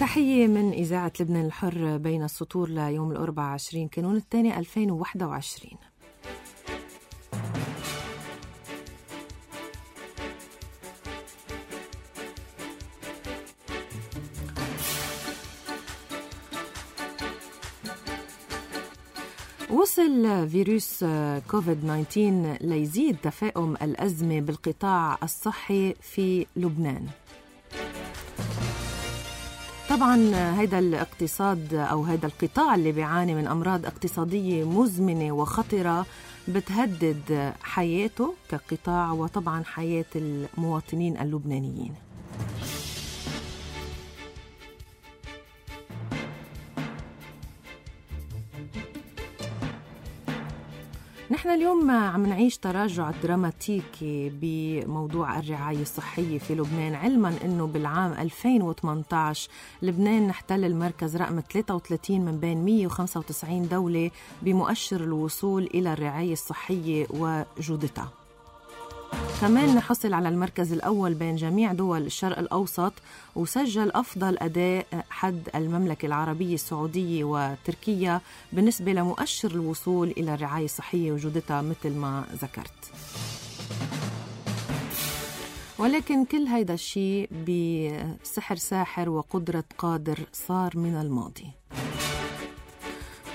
تحية من إذاعة لبنان الحر بين السطور ليوم الأربعاء 20 كانون الثاني 2021. وصل فيروس كوفيد-19 ليزيد تفاقم الأزمة بالقطاع الصحي في لبنان. طبعا هيدا الاقتصاد أو هيدا القطاع اللي بيعاني من أمراض اقتصادية مزمنة وخطرة بتهدد حياته كقطاع وطبعا حياة المواطنين اللبنانيين. نحن اليوم عم نعيش تراجع دراماتيكي بموضوع الرعاية الصحية في لبنان، علما أنه بالعام 2018 لبنان نحتل المركز رقم 33 من بين 195 دولة بمؤشر الوصول إلى الرعاية الصحية وجودتها. كمان نحصل على المركز الأول بين جميع دول الشرق الأوسط، وسجل أفضل أداء حد المملكة العربية السعودية وتركيا بالنسبة لمؤشر الوصول إلى الرعاية الصحية وجودتها مثل ما ذكرت. ولكن كل هيدا الشيء بسحر ساحر وقدرة قادر صار من الماضي.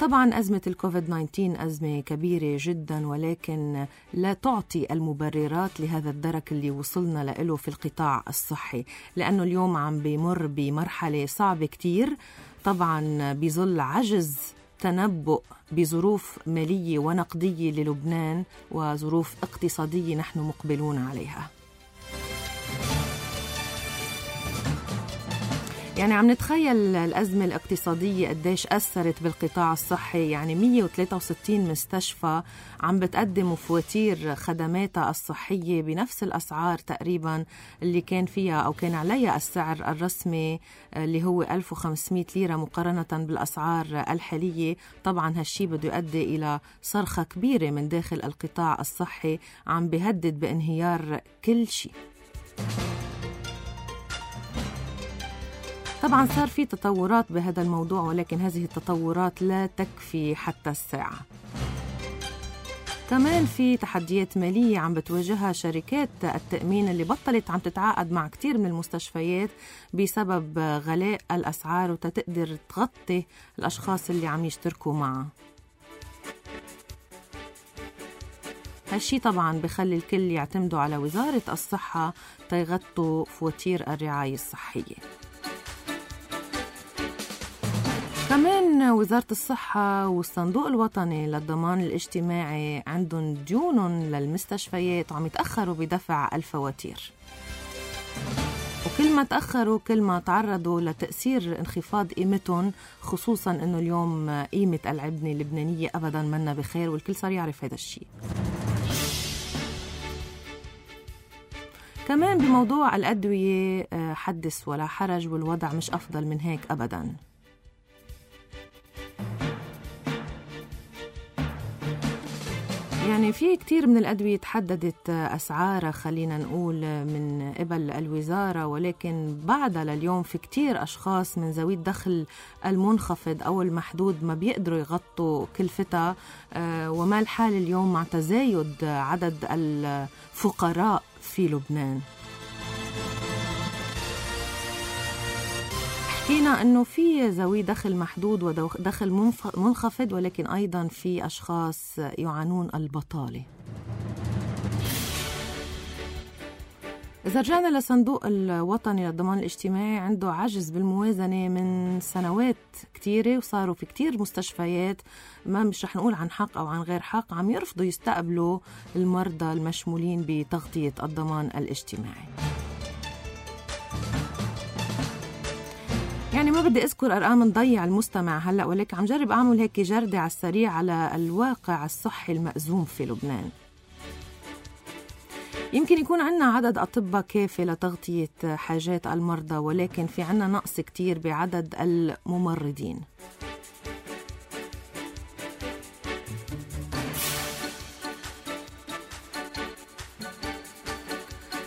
طبعاً أزمة الكوفيد-19 أزمة كبيرة جداً، ولكن لا تعطي المبررات لهذا الدرك اللي وصلنا له في القطاع الصحي، لأنه اليوم عم بيمر بمرحلة صعبة كتير، طبعاً بظل عجز تنبؤ بظروف مالية ونقدية للبنان وظروف اقتصادية نحن مقبلون عليها. يعني عم نتخيل الأزمة الاقتصادية قديش أثرت بالقطاع الصحي. يعني 163 مستشفى عم بتقدم فواتير خدماتها الصحية بنفس الأسعار تقريبا اللي كان فيها أو كان عليها السعر الرسمي اللي هو 1500 ليرة مقارنة بالأسعار الحالية. طبعا هالشي بده يؤدي إلى صرخة كبيرة من داخل القطاع الصحي عم بيهدد بانهيار كل شيء. طبعاً صار في تطورات بهذا الموضوع، ولكن هذه التطورات لا تكفي حتى الساعة. كمان في تحديات مالية عم بتواجهها شركات التأمين اللي بطلت عم تتعاقد مع كتير من المستشفيات بسبب غلاء الأسعار وتقدر تغطي الأشخاص اللي عم يشتركوا معها. هالشي طبعاً بخلي الكل يعتمدوا على وزارة الصحة تيغطوا فواتير الرعاية الصحية. كمان وزارة الصحة والصندوق الوطني للضمان الاجتماعي عندهم ديون للمستشفيات وعم يتأخروا بدفع الفواتير، وكل ما تأخروا كل ما تعرضوا لتأثير انخفاض قيمتهم، خصوصا انه اليوم قيمة العملة اللبنانية ابدا منا بخير والكل صار يعرف هذا الشيء. كمان بموضوع الأدوية حدث ولا حرج، والوضع مش أفضل من هيك أبدا. يعني في كتير من الأدوية تحددت أسعارها خلينا نقول من قبل الوزارة، ولكن بعدها لليوم في كتير أشخاص من ذوي الدخل المنخفض أو المحدود ما بيقدروا يغطوا كلفتها، وما الحال اليوم مع تزايد عدد الفقراء في لبنان. حكينا أنه في ذوي دخل محدود ودخل منخفض، ولكن أيضا في أشخاص يعانون البطالة. إذا رجعنا لصندوق الوطني للضمان الاجتماعي، عنده عجز بالموازنة من سنوات كتيرة، وصاروا في كتير مستشفيات ما مش رح نقول عن حق أو عن غير حق عم يرفضوا يستقبلوا المرضى المشمولين بتغطية الضمان الاجتماعي. يعني ما بدي أذكر أرقام نضيع المستمع هلأ، ولكن عم جرب أعمل هيك جردة على السريع على الواقع الصحي المأزوم في لبنان. يمكن يكون عنا عدد أطباء كافي لتغطية حاجات المرضى، ولكن في عنا نقص كتير بعدد الممرضين.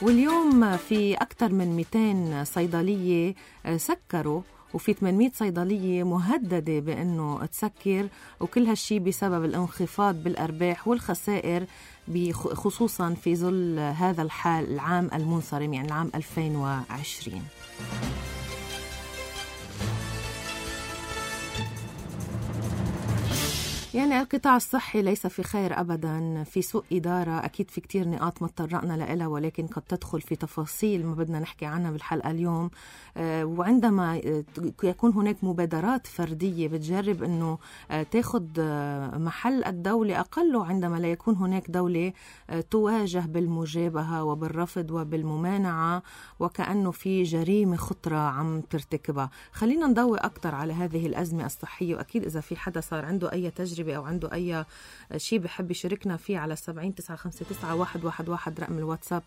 واليوم في أكثر من 200 صيدلية سكروا وفي 800 صيدلية مهددة بأنه تسكر، وكل هالشي بسبب الانخفاض بالأرباح والخسائر خصوصا في ظل هذا الحال العام المنصرم، يعني العام 2020. يعني القطاع الصحي ليس في خير أبدا، في سوء إدارة. أكيد في كتير نقاط ما تطرقنا لها، ولكن قد تدخل في تفاصيل ما بدنا نحكي عنها بالحلقة اليوم. وعندما يكون هناك مبادرات فردية بتجرب أنه تاخد محل الدولة أقله، عندما لا يكون هناك دولة تواجه بالمجابهة وبالرفض وبالممانعة وكأنه في جريمة خطرة عم ترتكبها. خلينا نضوي أكتر على هذه الأزمة الصحية، وأكيد إذا في حدا صار عنده أي تجربة أو عنده أي شيء بحب يشاركنا فيه على 70-959-111 رقم الواتساب،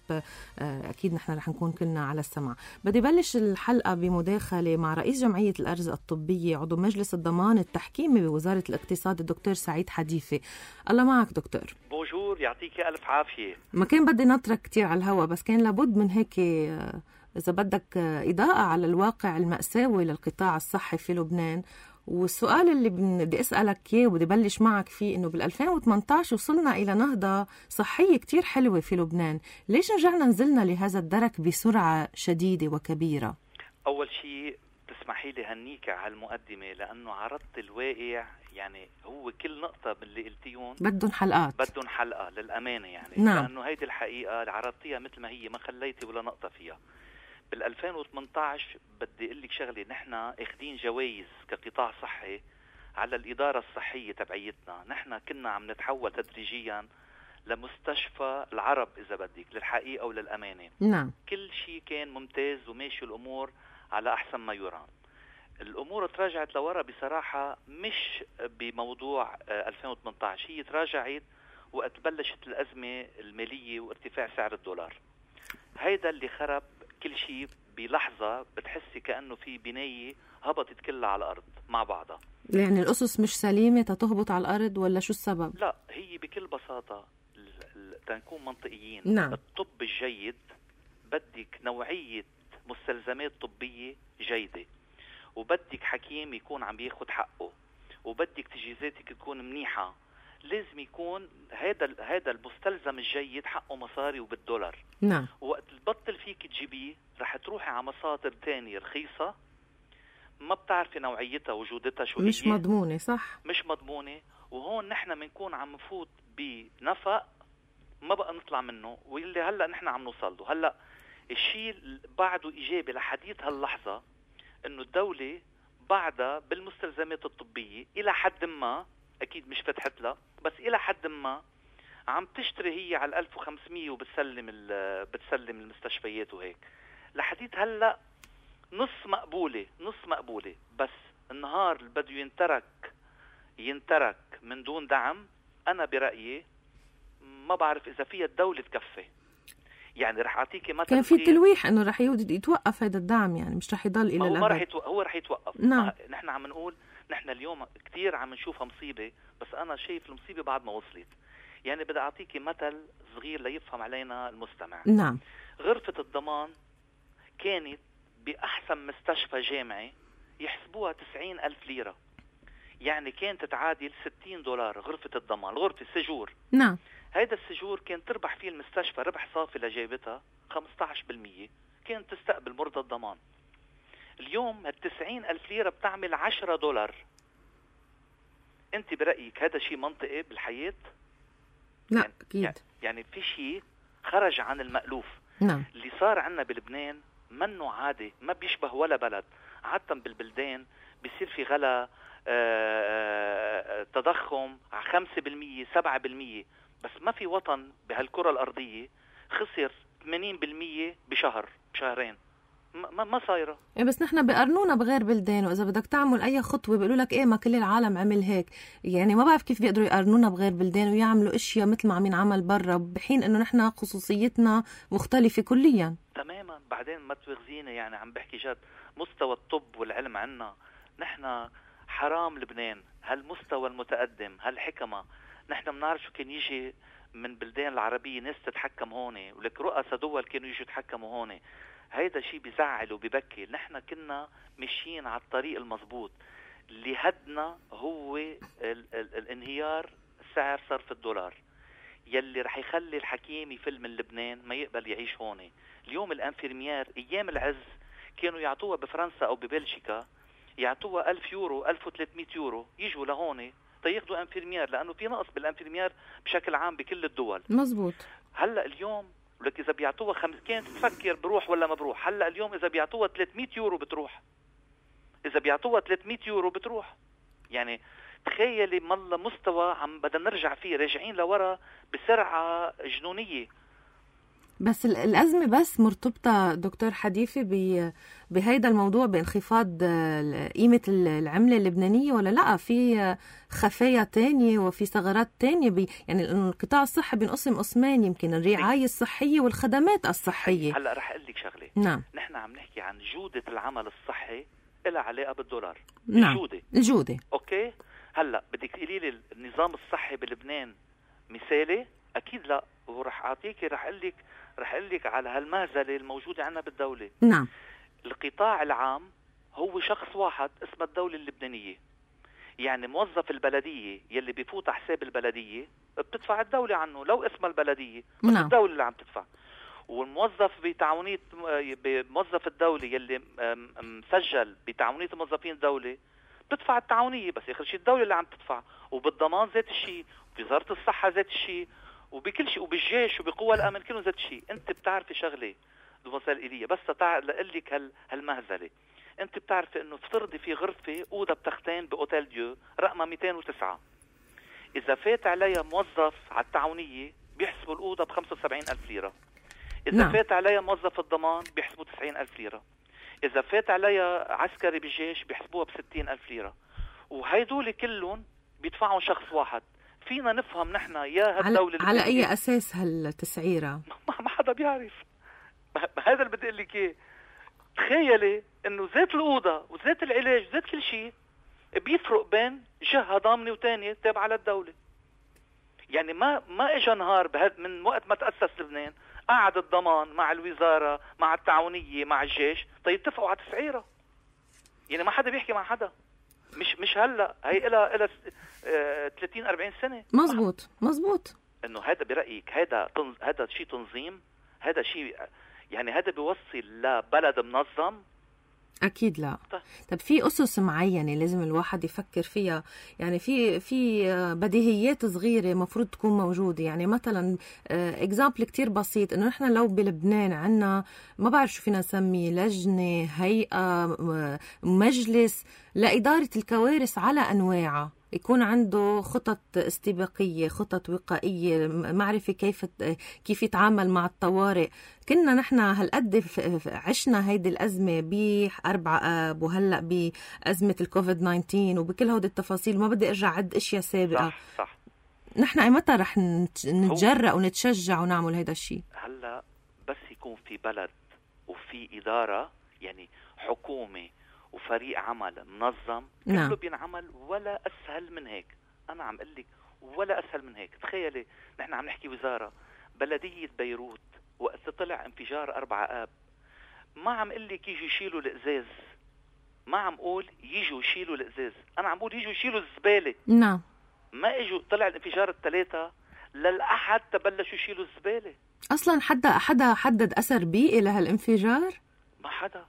أكيد نحن رح نكون كلنا على السمع. بدي بلش الحلقة بمداخلة مع رئيس جمعية الأرز الطبية عضو مجلس الضمان التحكيمي بوزارة الاقتصاد الدكتور سعيد حديثي. الله معك دكتور. بونجور، يعطيك ألف عافية. ما كان بدي نطرك كتير على الهواء، بس كان لابد من هيك إذا بدك إضاءة على الواقع المأساوي للقطاع الصحي في لبنان. والسؤال اللي بدي أسألك إياه وبدي بلش معك فيه إنه بال2018 وصلنا إلى نهضة صحية كتير حلوة في لبنان، ليش رجعنا نزلنا لهذا الدرك بسرعة شديدة وكبيرة؟ أول شيء تسمحي لي هنيك على المقدمة، لأنه عرضت الواقع، يعني هو كل نقطة من اللي قلتيون بدهم حلقة للأمانة، يعني نعم. لأنه هيدي الحقيقة اللي عرضتيها مثل ما هي، ما خليتي ولا نقطة فيها. بال2018 بدي أقول لك شغلة، نحن اخدين جوائز كقطاع صحي على الإدارة الصحية تبعيتنا. نحن كنا عم نتحول تدريجيا لمستشفى العرب إذا بدك، للحقيقة وللأمانة. نعم. كل شيء كان ممتاز وماشي الأمور على أحسن ما يرام. الأمور تراجعت لورا بصراحة، مش بموضوع 2018، هي تراجعت وقت بلشت الأزمة المالية وارتفاع سعر الدولار. هيدا اللي خرب كل شيء بلحظة. بتحسي كأنه في بناية هبطت كلها على الأرض مع بعضها. يعني الأسس مش سليمة تهبط على الأرض، ولا شو السبب؟ لا، هي بكل بساطة تنكون منطقيين. نعم. الطب الجيد بدك نوعية مستلزمات طبية جيدة، وبدك حكيم يكون عم بياخد حقه، وبدك تجهيزاتك تكون منيحة. لازم يكون هذا المستلزم الجيد حقه مصاري وبالدولار. نعم. وقت البطل فيك تجيبيه رح تروحي على مصادر تانية رخيصة، ما بتعرفي نوعيتها وجودتها شو هي، مش مضمونة. صح، مش مضمونة. وهون نحن منكون عم نفوت بنفق ما بقى نطلع منه، واللي هلأ نحن عم نوصل له. هلأ الشيء بعده إيجابي لحديث هاللحظة، إنه الدولة بعدها بالمستلزمات الطبية إلى حد ما، أكيد مش فتحت لها، بس إلى حد ما عم تشتري هي على 1500 وبتسلم المستشفيات وهيك. لحديث هلأ نص مقبولة. بس النهار اللي بده ينترك من دون دعم، أنا برأيي ما بعرف إذا فيها الدولة تكفي. يعني رح أعطيكي مثلا، كان في تلويح إنه رح يتوقف هذا الدعم، يعني مش رح يضل إلى الأبد. هو رح يتوقف. نعم. نحن عم نقول نحن اليوم كتير عم نشوفها مصيبة، بس أنا شايف المصيبة بعد ما وصلت. يعني بدي أعطيكي مثل صغير ليفهم علينا المستمع. نعم. غرفة الضمان كانت بأحسن مستشفى جامعي يحسبوها 90,000 ليرة، يعني كانت تعادل $60 غرفة الضمان، غرفة السجور. نعم. هيدا السجور كان تربح فيه المستشفى ربح صافي لجيبتها 15%، كانت تستقبل مرضى الضمان. اليوم 90,000 ليرة بتعمل $10. انت برأيك هذا شيء منطقي بالحياة؟ لا، يعني أكيد. يعني في شيء خرج عن المألوف. نعم. اللي صار عنا بلبنان منه عادي، ما بيشبه ولا بلد. عادة بالبلدان بيصير في غلا، تضخم 5% 7%، بس ما في وطن بهالكرة الأرضية خسر 80% بشهرين. ما صايرة. بس نحن بقرنونا بغير بلدان، وإذا بدك تعمل أي خطوة بيقولوا لك ما كل العالم عمل هيك. يعني ما بعرف كيف بيقدروا يقرنونا بغير بلدان ويعملوا أشياء مثل ما عم ينعمل برا، بحين إنه نحن خصوصيتنا مختلفة كليا تماما. بعدين ما تغزينا، يعني عم بحكي جد، مستوى الطب والعلم عنا نحن حرام. لبنان هالمستوى المتقدم، هالحكمة، نحن بنعرف شو كان يجي من بلدان العربية ناس تتحكم هون، ولك رؤساء دول كانوا يجوا يتحكموا هون. هيدا شيء بيزعل وبيبكي. نحن كنا ماشيين على الطريق المضبوط. اللي هدنا هو الانهيار سعر صرف الدولار، يلي رح يخلي الحكيم يفل من لبنان ما يقبل يعيش هون. اليوم الانفيرميار ايام العز كانوا يعطوها بفرنسا او ببلجيكا، يعطوها 1000 يورو 1300 يورو، يجوا لهون تياخدوا انفيرميار، لانه في نقص بالانفيرميار بشكل عام بكل الدول. مزبوط. هلا اليوم ولك اذا بيعطوها كانت تفكر بروح ولا ما بروح. هلا اليوم اذا بيعطوها 300 يورو بتروح، اذا بيعطوها 300 يورو بتروح. يعني تخيلي مالله مستوى عم بدنا نرجع فيه، راجعين لورا بسرعة جنونية. بس الأزمة بس مرتبطة دكتور حديثي بهيدا الموضوع بانخفاض قيمة العملة اللبنانية، ولا لا في خفايا تانية وفي ثغرات تانية يعني القطاع الصحي بينقسم قسمين، يمكن الرعاية الصحية والخدمات الصحية. هلا رح اقول لك شغلة. نعم. نحن عم نحكي عن جودة العمل الصحي إلها علاقة بالدولار. نعم. الجودة. اوكي. هلا بدك تقولي لي النظام الصحي بلبنان مثالي؟ اكيد لا. ورح اعطيكي رح اقول لك على هالمهزله الموجوده عندنا بالدوله. نعم. القطاع العام هو شخص واحد اسمه الدوله اللبنانيه. يعني موظف البلديه يلي بيفوت على حساب البلديه بتدفع الدوله عنه، لو اسمها البلديه بس نعم. الدوله اللي عم تدفع. والموظف بتعاونيه موظف الدوله يلي مسجل بتعاونيه موظفين الدوله بتدفع التعاونيه، بس اخر شيء الدوله اللي عم تدفع. وبالضمان ذات الشيء، وبوزاره الصحه ذات الشيء، وبكل شيء، وبالجيش وبقوى الامن كلهم ذات الشيء. انت بتعرفي لشغله دومسال ايليا، بس لأقول لك هالمهزله. انت بتعرفي انه افترضي في غرفه اوضه بتختين باوتيل ديو رقمها 209، اذا فات عليها موظف على التعاونيه بيحسبوا الاوضه ب 75,000 ليره. اذا نعم. فات عليها موظف الضمان بيحسبوا 90,000 ليره. اذا فات عليها عسكري بالجيش بيحسبوها ب 60,000 ليره. وهيدول كلهم بيدفعوا شخص واحد. فينا نفهم نحن يا هالدولة على أي أساس هالتسعيرة؟ ما حدا بيعرف. هذا اللي بدي أقول لك إيه. تخيلي إنه زيت الأوضة وزيت العلاج وزيت كل شيء بيفرق بين جهة ضامنة وتانية تابعة للدولة. يعني ما إجا نهار من وقت ما تأسس لبنان قعد الضمان مع الوزارة مع التعاونية مع الجيش اتفقوا على تسعيرة. يعني ما حدا بيحكي مع حدا. مش هلا، هي إلها 30-40 سنة. مزبوط. انه هذا برأيك هذا شيء تنظيم؟ هذا شيء يعني هذا بيوصل لبلد منظم؟ اكيد لا. طب في اسس معينه لازم الواحد يفكر فيها، يعني في بديهيات صغيره مفروض تكون موجوده. يعني مثلا اكزامبل كتير بسيط، انه نحن لو بلبنان عنا ما بعرف شو فينا نسميه، لجنه، هيئه، مجلس لاداره الكوارث على انواعها، يكون عنده خطط استباقية، خطط وقائية، معرفة كيف يتعامل مع الطوارئ. كنا نحن هالقد عشنا هيدي الأزمة ب4 آب وهلأ بأزمة الكوفيد 19 وبكل هودي التفاصيل. ما بدي أرجع عد أشياء سابقة. صح. نحن أيمتى رح نتجرأ ونتشجع ونعمل هيدا الشيء؟ هلأ بس يكون في بلد وفي إدارة، يعني حكومة وفريق عمل منظم، كله بينعمل ولا أسهل من هيك. أنا عم قلك ولا أسهل من هيك. تخيلي نحن عم نحكي وزارة بلدية بيروت وقت طلع انفجار 4 آب، ما عم قلك يجوا يشيلوا الإزاز، ما عم قول يجوا يشيلوا الإزاز، أنا عم قول يجوا يشيلوا الزبالة. نعم. ما إجوا. طلع الانفجار 3 للأحد تبلشوا يشيلوا الزبالة. أصلا حدا حدد أثر بيئي لهالانفجار؟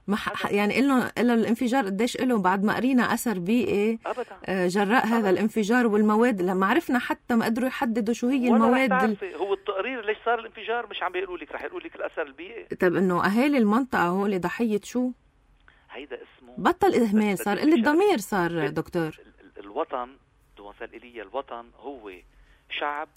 ما حدا. يعني إلا الانفجار قديش إله بعد ما قرينا أثر بيئي أبدا جراء هذا الانفجار، والمواد لما عرفنا حتى ما قدروا يحددوا شو هي المواد. هو التقرير ليش صار الانفجار مش عم بيقولوا لك، رح يقولوا لك الأثر البيئي. طب إنه أهالي المنطقة هول ضحية شو؟ هيدا اسمه بطل إهمال، صار قلة ضمير صار دكتور. الوطن دومسال إيليا، الوطن هو شعب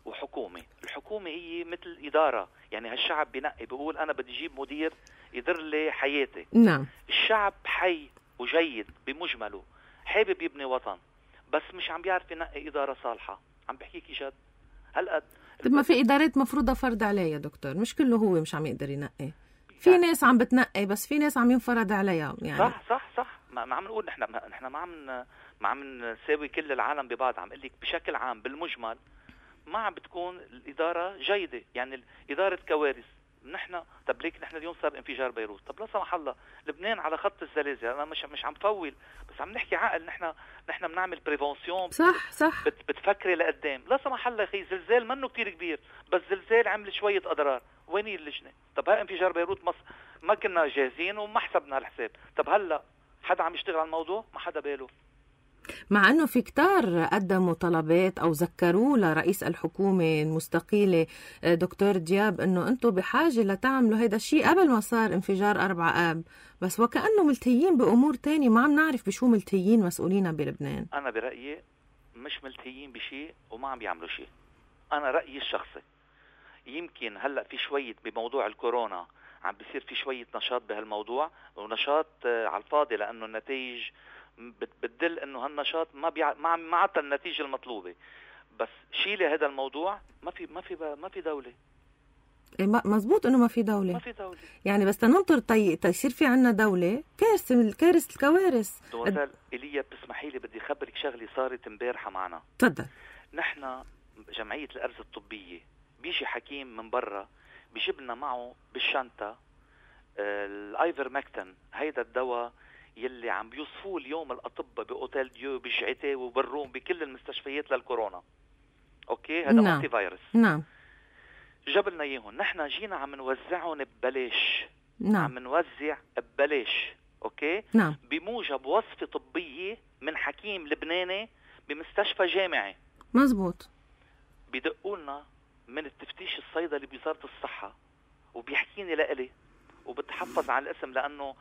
وحكومة. الحكومة هي مثل إدارة، يعني هالشعب بينقي بيقول أنا بدي أجيب مدير يدير لي حياتي. نعم. الشعب حي وجيد بمجمله، حابب يبني وطن، بس مش عم بيعرف ينقي إدارة صالحة. عم بحكيكي جد. هالقد. طب ما في إدارات مفروضة فرض عليها يا دكتور، مش كله هو مش عم يقدر ينقي. في ناس عم بتنقي بس في ناس عم ينفرض عليها. يعني صح. ما عم نقول نحن ما عم نساوي كل العالم ببعض. عم قلك بشكل عام بالمجمل ما عم بتكون الإدارة جيدة. يعني إدارة كوارث نحن طب ليك نحن اليوم صار انفجار بيروت، طب لا سمح الله لبنان على خط الزلازل. انا مش عم فول، بس عم نحكي عقل. نحن بنعمل بريفونسيون. صح بتفكري لقدام. لا سمح الله اخي زلزال منه كتير كبير، بس زلزال عمل شويه اضرار، وين اللجنه؟ طب ها انفجار بيروت ما كنا جاهزين وما حسبنا الحساب. طب هلا حدا عم يشتغل على الموضوع؟ ما حدا باله. مع أنه في كتار قدموا طلبات أو ذكروا لرئيس الحكومة المستقيلة دكتور دياب أنه أنتم بحاجة لتعملوا هيدا الشيء قبل ما صار انفجار 4 آب، بس وكأنه ملتهيين بأمور تانية ما عم نعرف بشو ملتهيين مسؤولين بلبنان. أنا برأيي مش ملتهيين بشيء وما عم بيعملوا شيء. أنا رأيي الشخصي يمكن هلأ في شوية بموضوع الكورونا عم بيصير في شوية نشاط بهالموضوع، ونشاط على الفاضي لأنه النتائج بتدل انه هالنشاط ما عطى النتيجه المطلوبه. بس شيلي هذا الموضوع ما في دوله. مزبوط انه ما في دوله يعني، بس تننطر يصير في عنا دوله. كارثه الكوارث. دوزال ايليا بتسمحي لي بدي اخبرك شغله صارت امبارحه معنا. تفضل. نحن جمعيه الارز الطبيه بيجي حكيم من برا بيجيب لنا معه بالشنطه الايفرمكتين، هيدا الدواء يلي عم بيوصفوه اليوم الأطباء بأوتيل ديو بشعتي وبالروم بكل المستشفيات للكورونا. أوكي، هذا أنتي فيروس. نعم. جاب لنا إياهم، نحن جينا عم نوزعهم ببلاش. نعم. عم نوزع ببلاش. أوكي. نعم. بموجب وصفة طبية من حكيم لبناني بمستشفى جامعي. مزبوط. بدقولنا من التفتيش الصيدلي بوزارة الصحة وبيحكيني لإلي وبتحفظ على الاسم لأنه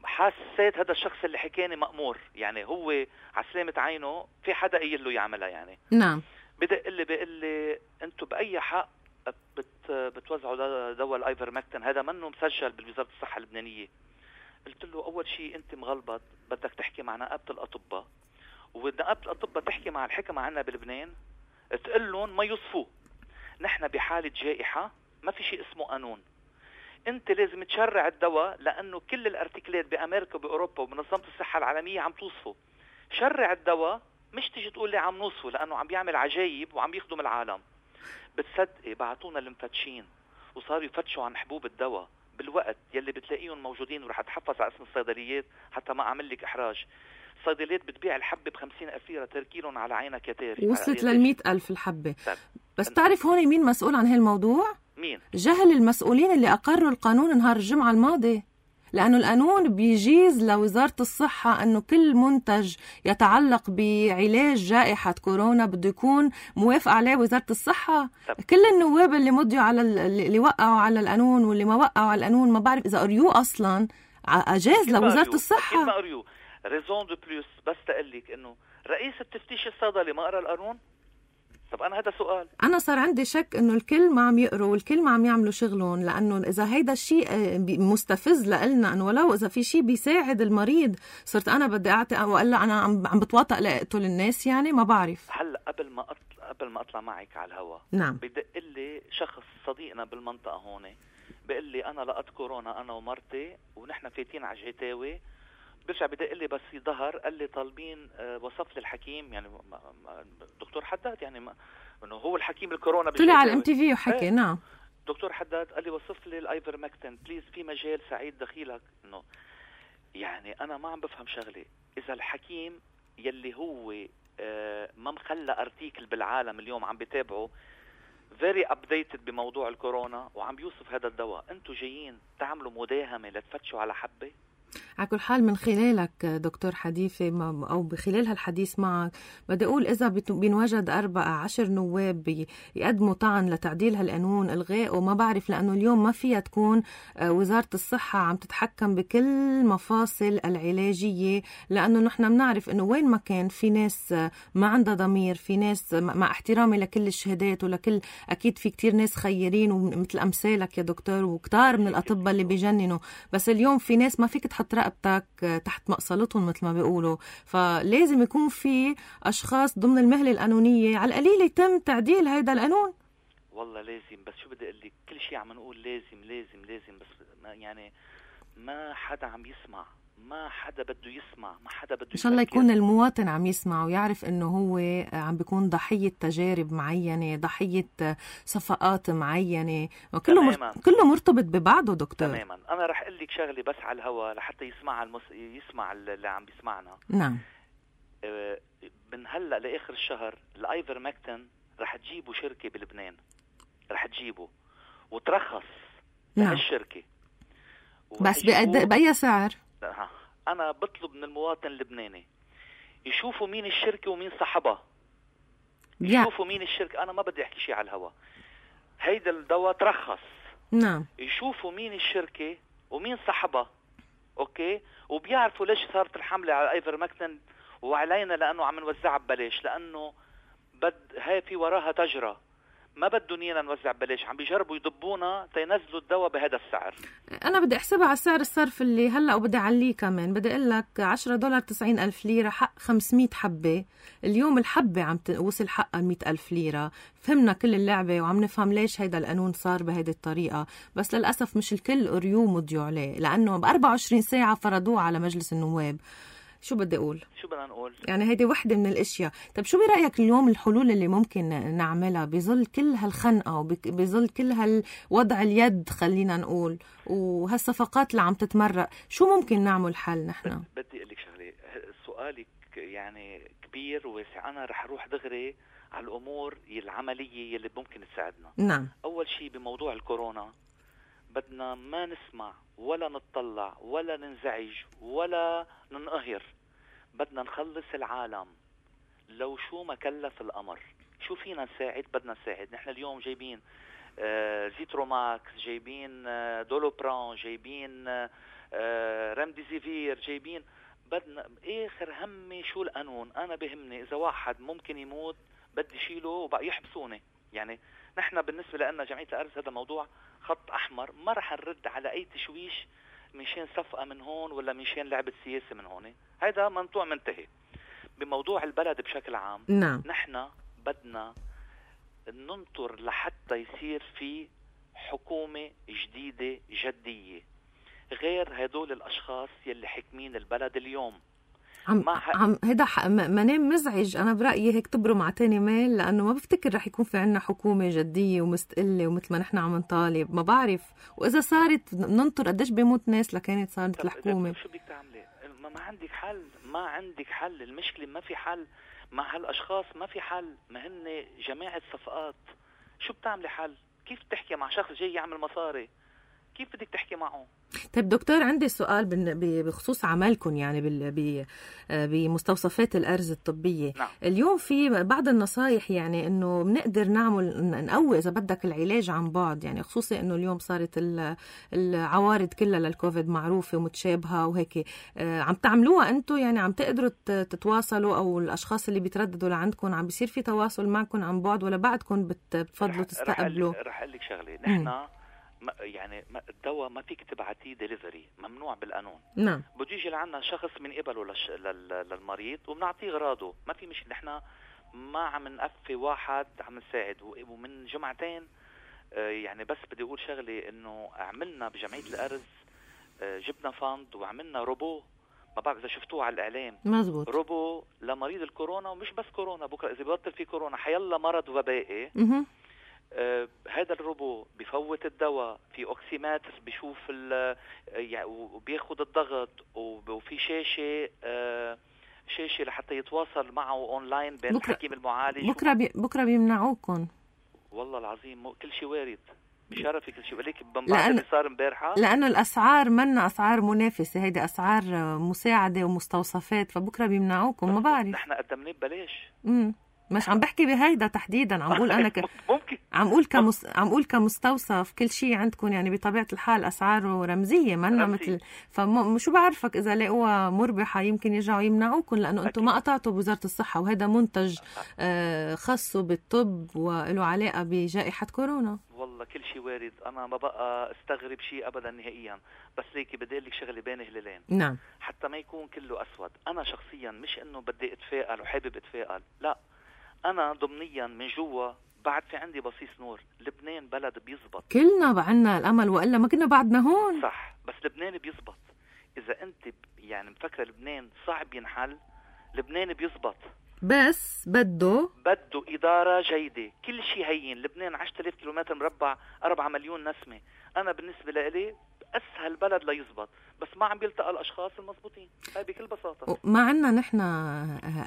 حسيت هذا الشخص اللي حكاني مأمور، يعني هو على سلامة عينه في حدا قايل له يعملها يعني. نعم. بيقول لي انتم بأي حق بتوزعوا دواء الايفرمكتين؟ هذا منه مسجل بوزارة الصحة اللبنانية. قلت له اول شيء انت مغلبط، بدك تحكي مع نقابة الأطباء، ونقابة الأطباء تحكي مع الحكمة عنا بلبنان تقول لهم ما يوصفوه. نحن بحالة جائحة ما في شيء اسمه قانون. انت لازم تشرع الدواء لانه كل الارتكلات بامريكا وباوروبا وبمنظمه الصحه العالميه عم توصفه. شرع الدواء، مش تيجي تقول لي عم نوصفه لانه عم بيعمل عجايب وعم يخدم العالم. بتصدقي بعتونا المفتشين وصاروا يفتشوا عن حبوب الدواء بالوقت يلي بتلاقيهم موجودين، ورح اتحفظ على اسم الصيدليات حتى ما اعمل لك احراج. الصيدليات بتبيع الحبه ب50,000 ليره، تركيلهم على عينك يا تاري. وصلت لل100,000 الحبه. بس تعرف هون مين مسؤول عن هالموضوع؟ مين؟ جهل المسؤولين اللي أقروا القانون نهار الجمعة الماضي، لأنه القانون بيجيز لوزارة الصحة أنه كل منتج يتعلق بعلاج جائحة كورونا بده يكون موافق عليه وزارة الصحة. كل النواب اللي مضيوا على اللي وقعوا على القانون واللي ما وقعوا على القانون ما بعرف إذا قريوه أصلا، أجاز لوزارة الصحة. أكيد ما قريوه. ريزون دو بلوس بس تقلك أنه رئيس التفتيش الصيدلي ما قرأ القانون. طب أنا هذا سؤال. أنا صار عندي شك إنه الكل ما عم يقروا والكل ما عم يعملوا شغلهم، لأنه إذا هيدا الشيء مستفز لقلنا أنه ولو إذا في شيء بيساعد المريض صرت أنا بدي أعطي وإلا أنا عم بتواطأ لأقتل الناس يعني ما بعرف. هلا قبل ما أطلع معك على الهواء، نعم، بدق لي شخص صديقنا بالمنطقة هون بيقول لي أنا لقيت كورونا أنا ومرتي ونحن فايتين على جعتاوي. برجع بدق لي بس ظهر قال لي طالبين وصف للحكيم، يعني دكتور حداد، يعني انه هو الحكيم الكورونا طلع على MTV وحكي. نعم دكتور حداد قال لي وصف لي الايفرمكتين بليز، في مجال سعيد دخيلك. انه يعني انا ما عم بفهم شغله. اذا الحكيم يلي هو ما مخلى ارتيكل بالعالم اليوم عم بتابعه very updated بموضوع الكورونا وعم بيوصف هذا الدواء، انتوا جايين تعملوا مداهمه لتفتشوا على حبه؟ على كل حال من خلالك دكتور حديثي أو بخلال هالحديث معك بدي أقول إذا بينوجد 14 نواب يقدموا طعن لتعديل هالقانون إلغاء وما بعرف، لأنه اليوم ما فيها تكون وزارة الصحة عم تتحكم بكل مفاصل العلاجية، لأنه نحن بنعرف إنه وين ما كان في ناس ما عندها ضمير، في ناس مع احترامي لكل الشهادات ولكل أكيد في كتير ناس خيرين ومثل أمثالك يا دكتور وكتار من الأطباء اللي بيجننوا، بس اليوم في ناس ما فيك تحط رقبتك تحت مقصلتهم مثل ما بيقولوا. فلازم يكون في أشخاص ضمن المهلة القانونية على القليل يتم تعديل هيدا القانون. والله لازم، بس شو بدي أقول لك، كل شيء عم نقول لازم لازم لازم، بس يعني ما حدا عم يسمع. ما حدا بده يسمع، ما حدا بده إن شاء الله يفكر. يكون المواطن عم يسمع ويعرف إنه هو عم بيكون ضحية تجارب معينة، ضحية صفقات معينة، كله مرتبط ببعضه دكتور. تماما. أنا رح أقول لك شغلة بس على الهوا لحتى يسمع اللي عم بيسمعنا. نعم. من هلأ لآخر الشهر الآيفرمكتين رح تجيبوا شركة بلبنان، رح تجيبوا وترخص الشركة. بس بأي سعر؟ أنا بطلب من المواطن اللبناني يشوفوا مين الشركة ومين صاحبها، يشوفوا مين الشركة. أنا ما بدي أحكي شيء على الهوا. هيدا الدواء ترخص. نعم. يشوفوا مين الشركة ومين صاحبها، أوكي، وبيعرفوا ليش صارت الحملة على الايفرمكتين وعلينا، لأنه عم نوزعها ببلاش، لأنه هاي في وراها تجرة. ما بدهم ايانا نوزع ببلاش، عم بيجربوا يضبونا تينزلوا الدواء بهذا السعر. انا بدي احسبها على سعر الصرف اللي هلا، وبدي اعليه كمان. بدي اقول لك $10 90,000 ليرة حق 500 حبة. اليوم الحبة عم وصل حقها 100,000 ليرة. فهمنا كل اللعبة وعم نفهم ليش هيدا القانون صار بهيدي الطريقة، بس للأسف مش الكل قريوه مضيوا عليه، لأنه ب24 ساعة فرضوه على مجلس النواب. شو بدي أقول؟ شو بدنا نقول؟ يعني هيدي وحدة من الاشياء. طيب شو برأيك اليوم الحلول اللي ممكن نعملها بظل كل هالخنقة وبظل كل هالوضع اليد خلينا نقول وهالصفقات اللي عم تتمرق؟ شو ممكن نعمل حل نحن؟ بدي أقول لك شغلة، سؤالك يعني كبير وواسع. أنا رح أروح دغري على الأمور العملية اللي ممكن تساعدنا. نعم. أول شيء بموضوع الكورونا بدنا ما نسمع ولا نتطلع ولا ننزعج ولا ننقهر. بدنا نخلص العالم لو شو ما كلف الأمر. شو فينا نساعد؟ بدنا نساعد. نحن اليوم جايبين زيتروماكس، جايبين دولوبران، جايبين رمديزيفير، جايبين. بدنا آخر همي شو القانون. أنا بهمني إذا واحد ممكن يموت بدي شيله وبقى يحبسوني. يعني نحن بالنسبة لنا جمعية الأرز هذا موضوع خط أحمر، ما رح نرد على أي تشويش منشان صفقة من هون ولا منشان لعبة سياسة من هون. هذا منطوع منتهي. بموضوع البلد بشكل عام، نعم. نحن بدنا ننطر لحتى يصير في حكومة جديدة جدية غير هدول الأشخاص يلي حكمين البلد اليوم. هيدا منام مزعج. أنا برأيي هيك تبرم مع تاني ميل، لأنه ما بفتكر رح يكون في عنا حكومة جدية ومستقلة ومثل ما نحن عم نطالب. ما بعرف، وإذا صارت ننطر قديش بيموت ناس لكانت صارت الحكومة. شو بدك تعملي؟ ما عندك حل، ما عندك حل. المشكلة ما في حل مع هالأشخاص، ما في حل. ما هن جماعة صفقات. شو بتعملي حل؟ كيف تحكي مع شخص جاي يعمل مصاري؟ كيف بدك تحكي معه؟ طيب دكتور، عندي سؤال بخصوص عملكم يعني بمستوصفات الأرز الطبية. نعم. اليوم في بعض النصايح يعني إنه بنقدر نقوي إذا بدك العلاج عن بعد، يعني خصوصي إنه اليوم صارت العوارض كلها للكوفيد معروفة ومتشابهة وهيك. عم تعملوها أنتو؟ يعني عم تقدروا تتواصلوا، أو الأشخاص اللي بيترددوا لعندكم عم بيصير في تواصل معكم عن بعد، ولا بعدكم بتفضلوا تستقبلوا؟ رح أقول لك شغلة. نحن يعني الدواء ما فيك تبعتيه ديليفري، ممنوع بالقانون. نعم. بده يجي لعنا شخص من قبله للمريض وبنعطيه غراضه. ما في مشكلة. نحن ما عم نقفي واحد، عم نساعد. ومن جمعتين يعني بس بدي أقول شغلة، إنه عملنا بجمعية الأرز جبنا فند وعملنا روبو. ما بعرف إذا شفتوه على الإعلام. مزبوط. روبو لمريض الكورونا، ومش بس كورونا، بكرة إذا ببطل في كورونا حيلا مرض وبائي. هذا الروبو بفوت الدواء في أوكسيماتر، بيشوف وبياخد الضغط، وفي شاشة لحتى يتواصل معه أونلاين بين الحكيم المعالج. بكرة بيمنعوكم. والله العظيم كل شيء وارد. بشرفي كل شيء. وليك بنبعث اللي صار امبارحة، لأنه الأسعار منا أسعار منافسة، هيدي أسعار مساعدة ومستوصفات، فبكرة بيمنعوكم. ما بعرف. نحن قدمناه ببلاش. مش عم بحكي بهيدا تحديدا، عم بقول أنا ممكن عم أقول كمستوصف كل شيء عندكم يعني بطبيعة الحال أسعاره رمزية منا مثل. فشو بعرفك إذا لقوها مربحة يمكن يرجعوا يمنعوكم، لأنه أنتم ما قطعتوا بوزارة الصحة، وهذا منتج خاصه بالطب وله علاقة بجائحة كورونا. والله كل شيء وارد. أنا ما بقى استغرب شيء أبدا نهائيا. بس ليكي بدي أقول لك شغلة بين هلالين. نعم. حتى ما يكون كله أسود. أنا شخصيا مش إنه بدي أتفائل وحابب أتفائل، لا. أنا ضمنيا من جوا بعد في عندي بصيص نور. لبنان بلد بيزبط. كلنا بعنا الأمل، وإلا ما كنا بعدنا هون. صح، بس لبنان بيزبط. إذا أنت يعني مفكرة لبنان صعب ينحل، لبنان بيزبط، بس بده إدارة جيدة. كل شيء هين. لبنان 10,000 كيلومتر مربع، 4 مليون نسمة. أنا بالنسبة لي أسهل بلد ليزبط، بس ما عم بيلتقى الأشخاص المضبوطين. هاي بكل بساطة. ما عنا نحن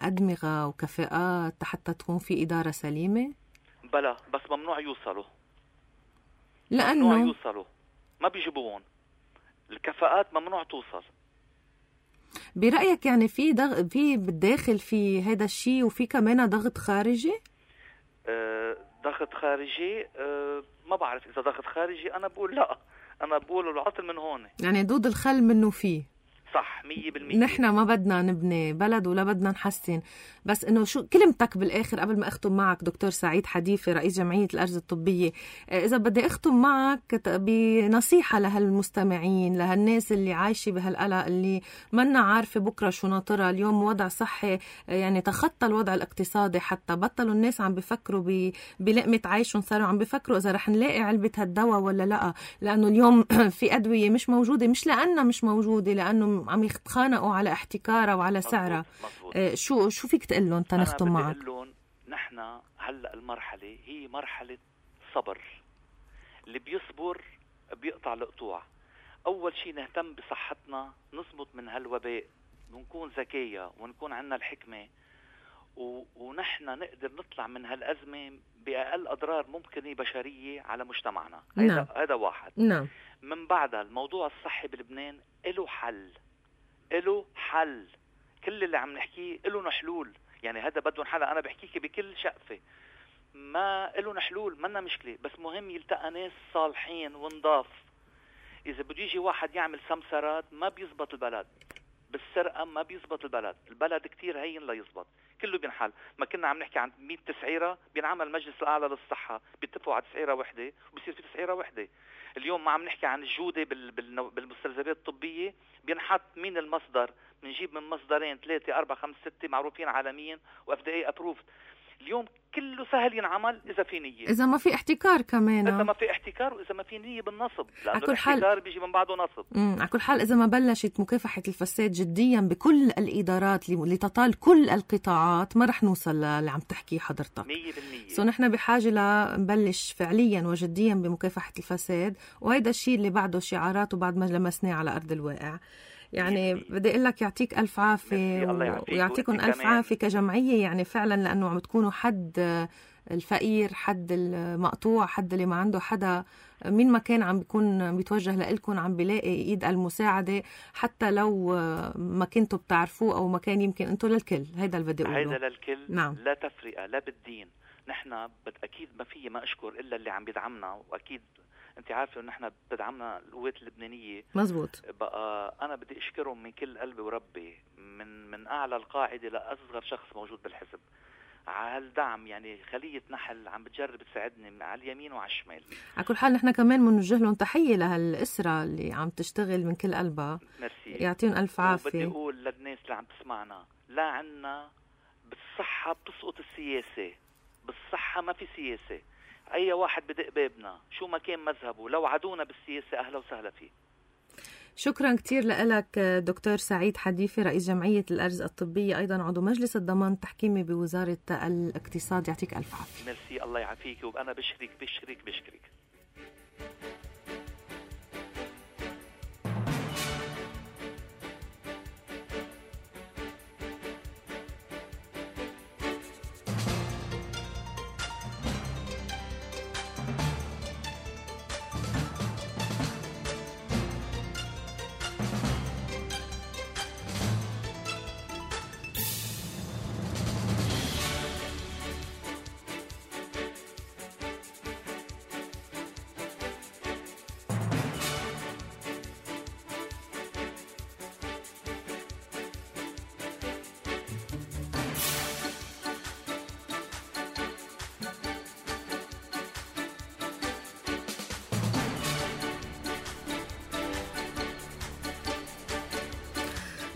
أدمغة وكفاءات حتى تكون في إدارة سليمة؟ بلا، بس ممنوع يوصلوا. لأنه ممنوع يوصلوا، ما بيجيبوهم. الكفاءات ممنوع توصل. برأيك يعني في في بالداخل في هذا الشيء، وفي كمان ضغط خارجي؟ ضغط خارجي، ما بعرف إذا ضغط خارجي. أنا بقول لا، أنا بقول العطل من هون. يعني دود الخل منه فيه. صح 100%. نحن ما بدنا نبني بلد ولا بدنا نحسن، بس انه شو كلمتك بالاخر قبل ما اختم معك دكتور سعيد حديفي رئيس جمعية الأرز الطبية؟ اذا بدي اختم معك بنصيحة لهالمستمعين، لهالناس اللي عايشة بهالقلق، اللي منا عارفة بكرة شو ناطرها. اليوم وضع صحي يعني تخطى الوضع الاقتصادي، حتى بطلوا الناس عم بفكروا بلقمة عيشهم، صاروا عم بفكروا اذا رح نلاقي علبة هالدواء ولا لا. لانه اليوم في ادوية مش موجودة، مش لانها مش موجودة، لانه عم يتخانقوا على احتكارها وعلى سعرها. شو فيك تقول لهم تنختم معك؟ أنا بدي أقول لهم نحن هلأ المرحلة هي مرحلة صبر. اللي بيصبر بيقطع القطوع. أول شيء نهتم بصحتنا، نصمت من هالوباء، ونكون ذكية ونكون عنا الحكمة، ونحن نقدر نطلع من هالأزمة بأقل أضرار ممكنة بشرية على مجتمعنا. هذا واحد. نعم. من بعدها الموضوع الصحي بلبنان له حل. كل اللي عم نحكيه له حلول. يعني هذا بده حل. أنا بحكيك بكل شقفة، ما له حلول، منا مشكلة. بس مهم يلتقى ناس صالحين ونضاف. إذا بده يجي واحد يعمل سمسرات ما بيزبط البلد، بالسرقة ما بيزبط البلد كتير هين لا يزبط. كله بينحل. ما كنا عم نحكي عن 100 تسعيرة، بينعمل مجلس الأعلى للصحة، بيتفقوا على تسعيرة وحدة وبيصير في تسعيرة وحدة. اليوم ما عم نحكي عن الجودة بالمستلزمات الطبية، بينحط مين المصدر. بنجيب من مصدرين 3 4 5 6 معروفين عالميا وFDA approved. اليوم كله سهل ينعمل إذا في نية، إذا ما في احتكار كمان، إذا ما في احتكار، وإذا ما في نية بالنصب، لأنه الاحتكار بيجي من بعده نصب. على كل حال إذا ما بلشت مكافحة الفساد جديا بكل الإدارات لتطال كل القطاعات، ما رح نوصل اللي عم تحكي حضرتك 100%. نحن بحاجة لنبلش فعليا وجديا بمكافحة الفساد، وهيدا الشيء اللي بعده شعارات وبعد ما لمسناه على أرض الواقع. يعني بدي أقول لك يعطيك ألف عافية، ويعطيكم ألف عافية كجمعية. يعني فعلا لأنه عم تكونوا حد الفقير، حد المقطوع، حد اللي ما عنده حدا، مين ما كان عم بيكون بيتوجه لإلكم عم بيلاقي إيد المساعدة، حتى لو ما كنتوا بتعرفوه أو ما كان يمكن أنتوا للكل. هيدا اللي بدي أقوله. هيدا للكل. نعم. لا تفرقة لا بالدين. نحن أكيد ما فيه ما أشكر إلا اللي عم بيدعمنا، وأكيد أنت عارفة إنه نحن بدعمنا القوات اللبنانية. مزبوط. بقى أنا بدي أشكرهم من كل قلبي وربي، من أعلى القاعدة لأصغر شخص موجود بالحزب، على هالدعم. يعني خلية نحل عم بتجرب تساعدني من على اليمين وعلى الشمال. على كل حال نحن كمان بنوجه لهم تحية لهالأسرة اللي عم تشتغل من كل قلبها. ميرسي. يعطيهم ألف عافية. بدي أقول للناس اللي عم تسمعنا، لا عنا بالصحة بتسقط السياسة. بالصحة ما في سياسة. أي واحد بدق بابنا شو ما كان مذهبه، لو عدونا بالسياسة أهلا وسهلا فيه. شكرا كتير لك دكتور سعيد حديفي رئيس جمعية الأرز الطبية، أيضا عضو مجلس الضمان التحكيمي بوزارة الاقتصاد. يعطيك ألف عافية. ميرسي. الله يعافيك. وأنا بشكرك.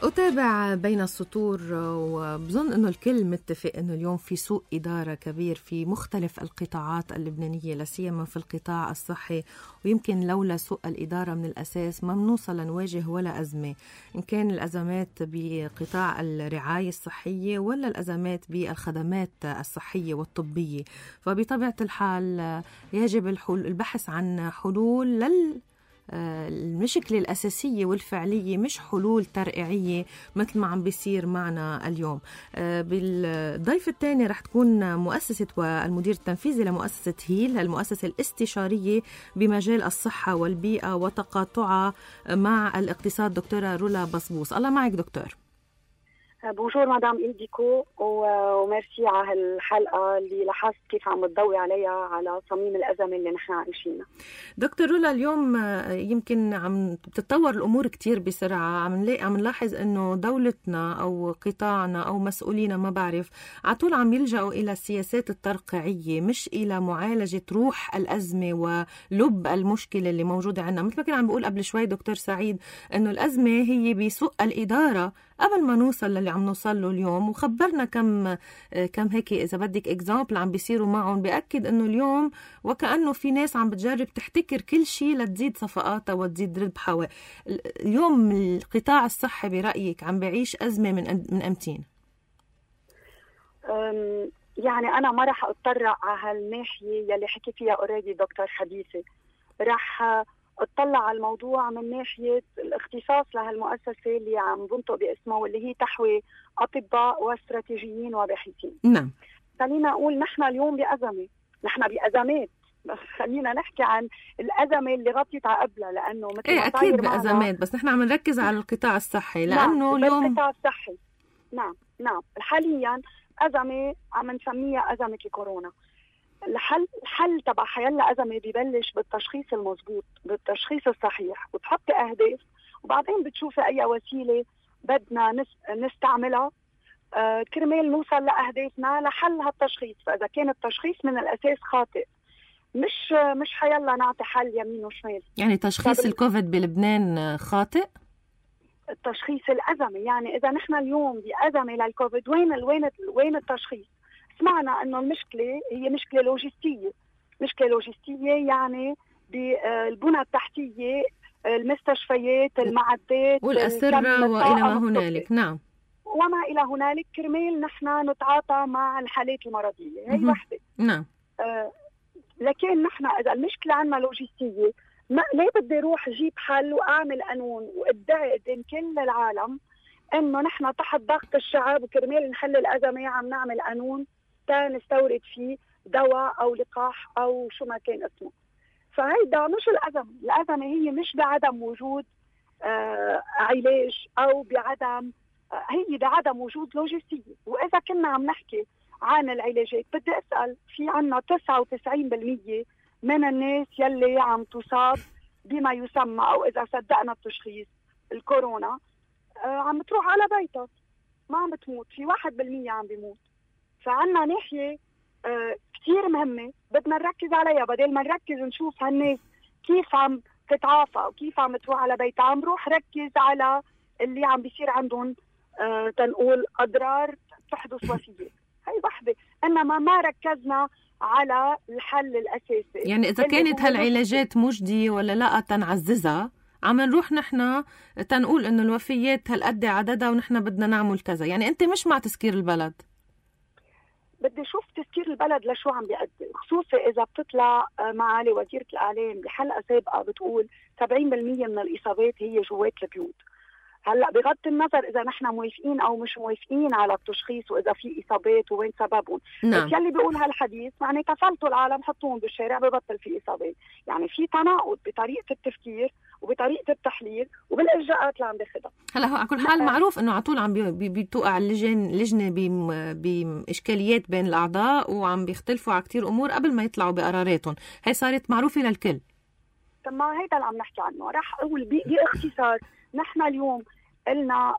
أتابع بين السطور وبظن أنه الكل متفق أنه اليوم في سوء إدارة كبير في مختلف القطاعات اللبنانية، لا سيما في القطاع الصحي، ويمكن لولا سوء الإدارة من الأساس ما بنوصل لنواجه ولا أزمة، إن كان الأزمات بقطاع الرعاية الصحية ولا الأزمات بالخدمات الصحية والطبية. فبطبيعة الحال يجب البحث عن حلول المشكلة الأساسية والفعلية، مش حلول ترقيعية مثل ما عم بيصير معنا اليوم. بالضيف الثاني رح تكون مؤسسة والمدير التنفيذي لمؤسسة هيل، المؤسسة الاستشارية بمجال الصحة والبيئة وتقاطعها مع الاقتصاد، دكتورة رولا بصبوص. الله معك دكتور. بونجور مدام إلديكو، وميرسي على هالحلقة اللي لاحظت كيف عم تضوي عليها على صميم الأزمة اللي نحن عايشينها. دكتور رولا، اليوم يمكن عم بتتطور الأمور كتير بسرعة، عم نلاحظ إنه دولتنا أو قطاعنا أو مسؤولينا ما بعرف عطول عم يلجأوا إلى السياسات الترقيعية مش إلى معالجة روح الأزمة ولب المشكلة اللي موجودة عنا. مثل ما كان عم بقول قبل شوي دكتور سعيد إنه الأزمة هي بسوء الإدارة قبل ما نوصل للي عم نوصل له اليوم، وخبرنا كم هيك إذا بدك إكزامبل عم بيصيروا معهم بيأكد إنه اليوم وكأنه في ناس عم بتجرب تحتكر كل شيء لتزيد صفقاتها وتزيد ربحها. اليوم القطاع الصحي برأيك عم بيعيش أزمة من أمتين؟ يعني أنا ما رح أتطرق على هالناحية يلي حكي فيها أوريدي دكتور حديثي، رح اطلع على الموضوع من ناحية الاختصاص لهالمؤسسة اللي عم بنطق باسمها، واللي هي تحوي أطباء واستراتيجيين وباحثين. نعم. خلينا أقول نحن اليوم بأزمة، نحن بأزمات، بس خلينا نحكي عن الأزمة اللي غطيت على قبلها، لأنه مثل ما أكيد بأزمات، بس نحن عم نركز على القطاع الصحي نعم، لأنه اليوم القطاع الصحي نعم حاليا أزمة عم نسميها أزمة الكورونا. الحل تبع حيلا أزمة ببلش بالتشخيص المضبوط، بالتشخيص الصحيح، وتحطي أهداف وبعدين بتشوفي أي وسيلة بدنا نستعملها كرمال نوصل لأهدافنا لحل هالتشخيص. فإذا كان التشخيص من الأساس خاطئ مش حيلا نعطي حل يمين وشمال. يعني تشخيص الكوفيد بلبنان خاطئ؟ التشخيص الأزمة، يعني إذا نحن اليوم بأزمة للكوفيد وين التشخيص؟ سمعنا انه المشكله هي مشكله لوجستيه، يعني بالبنى التحتيه، المستشفيات، المعدات والاسره والى ما هنالك. نعم، وما الى هنالك، كرمال نحن نتعاطى مع الحالات المرضيه. هي وحده. نعم. لكن نحن اذا المشكله عندنا لوجستيه، ليه بدي اروح اجيب حل واعمل قانون وادعي قدام كل العالم انه نحن تحت ضغط الشعب وكرمال نحل الازمه عم نعمل قانون نستورد فيه دواء أو لقاح أو شو ما كان اسمه. فهيدا مش الأزمة هي مش بعدم وجود علاج أو هي بعدم وجود لوجستية. وإذا كنا عم نحكي عن العلاجات، بدي أسأل، في عنا 99% من الناس يلي عم تصاب بما يسمى، أو إذا صدقنا التشخيص، الكورونا، عم تروح على بيتها، ما عم بتموت. في 1% عم بيموت. فعنا ناحية كتير مهمة بدنا نركز عليها، بدل ما نركز نشوف هالناس كيف عم تتعافى وكيف عم تروح على بيتها، عم روح ركز على اللي عم بيصير عندهم تنقول أضرار تحدث وفيات. هاي وحدة، إنما ما ركزنا على الحل الأساسي. يعني إذا كانت هالعلاجات مجدية ولا لا تنعززها، عم نروح نحن تنقول إنه الوفيات هالقد عددها ونحن بدنا نعمل كذا. يعني أنت مش مع تسكير البلد؟ بدي شوف تسكير البلد لشو عم بيأدي، خصوصا إذا بتطلع معالي وزيرة الإعلام بحلقة سابقة بتقول 70% من الإصابات هي جوات البيوت. هلا بغض النظر إذا نحن موافقين أو مش موافقين على التشخيص وإذا في إصابات وين سببهم، نعم. بس يلي بيقول هالحديث يعني تفلتوا العالم حطوهم بالشارع ببطل في إصابات. يعني في تناقض بطريقة التفكير وبطريقة التحليل وبالإجراءات اللي عم بياخدها. هلا هو على كل حال معروف إنه عطول عم بتوقع لجنة بإشكاليات بين الأعضاء وعم بيختلفوا على كتير أمور قبل ما يطلعوا بقراراتهم. هي صارت معروفة للكل. طب ما هيدا اللي عم نحكي عنه. راح أقول باختصار، نحن اليوم قلنا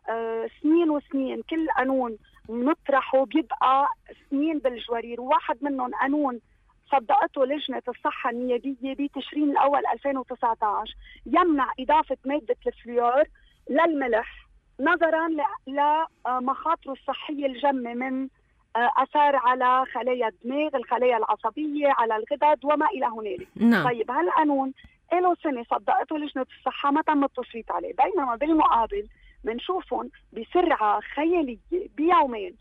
سنين وسنين كل قانون نطرحه بيبقى سنين بالجوارير، وواحد منهم قانون صدقته لجنة الصحة النيابية بتشرين الأول 2019 يمنع إضافة مادة الفلور للملح نظرا لمخاطره الصحية الجمة من أثار على خلايا الدماغ، الخلايا العصبية، على الغدد وما إلى هنالك. نعم. طيب هالقانون له سنة صدقته لجنة الصحة، ما تم التصويت عليه، بينما بالمقابل منشوفهم بسرعة خيالية بيومين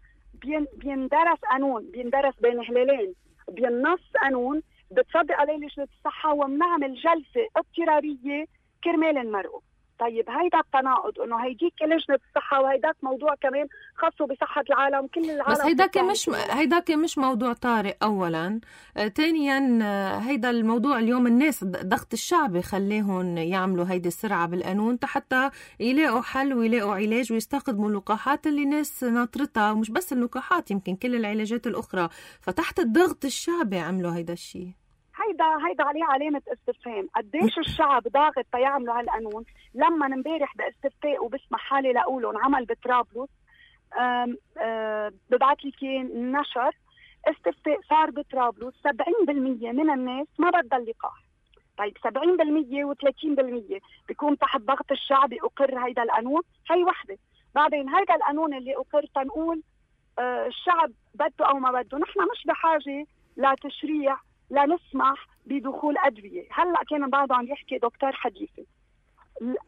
بيندرس قانون، بيندرس بين هلالين، بينص قانون بتصدق عليه لجنة الصحة، ومنعمل جلسة اضطرارية كرمال نمرقه. طيب هيدا التناقض، انه هيديك لجنة الصحة وهيداك موضوع كمان خاصه بصحة العالم، كل العالم. بس هيداك مش موضوع طارئ اولا. ثانيا هيدا الموضوع اليوم الناس ضغط الشعبي خليهم يعملوا هيدي السرعة بالقانون حتى يلاقوا حل ويلاقوا علاج ويستخدموا اللقاحات اللي ناس ناطرتها، ومش بس اللقاحات، يمكن كل العلاجات الاخرى. فتحت الضغط الشعبي عملوا هيدا الشيء. هيدا عليه علامة استفهام. قديش الشعب ضاغط تيعملوا هالقانون؟ لما امبارح باستفتاء وبسمح حالي لأقوله انعمل بطرابلس، ببعت لي كان نشر استفتاء صار بطرابلس 70% من الناس ما بدها اللقاح. طيب 70% و30% بيكون تحت ضغط الشعب يقر هيدا القانون، هي وحدة. بعدين هيدا القانون اللي أقر تنقول الشعب بده أو ما بده. نحن مش بحاجة لتشريع لا نسمح بدخول أدوية. هلأ كان بعده عم يحكي دكتور حديثي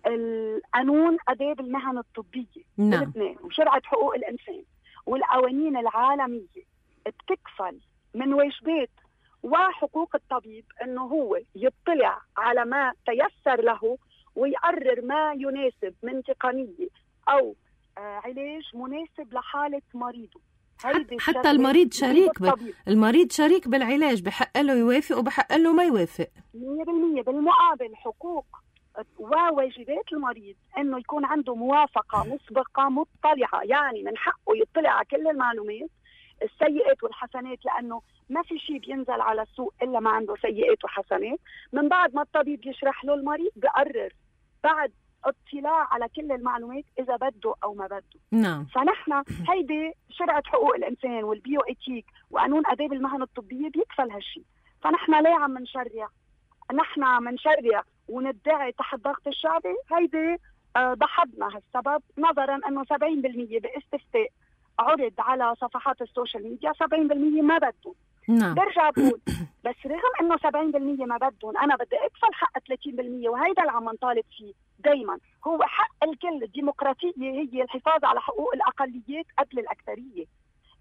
القانون آداب المهن الطبية بلبنان وشرعة حقوق الإنسان والقوانين العالمية بتكفل من واجبات وحقوق الطبيب أنه هو يطلع على ما تيسر له ويقرر ما يناسب من تقنية أو علاج مناسب لحالة مريضه. حتى المريض شريك المريض شريك بالعلاج، بحق له يوافق وبحق له ما يوافق 100%. بالمقابل حقوق وواجبات المريض انه يكون عنده موافقة مسبقة مطلعة، يعني من حقه يطلع على كل المعلومات السيئات والحسنات، لانه ما في شيء بينزل على السوق الا ما عنده سيئات وحسنات. من بعد ما الطبيب يشرح له، المريض بقرر بعد اطلاع على كل المعلومات اذا بده او ما بده. نعم. فنحن هيدي شرعة حقوق الانسان والبيو ايتيك وقانون آداب المهن الطبية بيكفل هالشيء. فنحن ليه عم نشرع؟ نحن منشرع وندعي تحت ضغط الشعبي. هيدي ضحضنا هالسبب، نظرا انه 70% باستفتاء عرض على صفحات السوشيال ميديا 70% ما بدهم. نعم. برجع بقول بس رغم انه 70% ما بدهم، انا بدي اكفل حق 30%، وهيدا اللي عم نطالب فيه دايما. هو حق الكل. الديمقراطية هي الحفاظ على حقوق الاقليات قبل الاكثرية.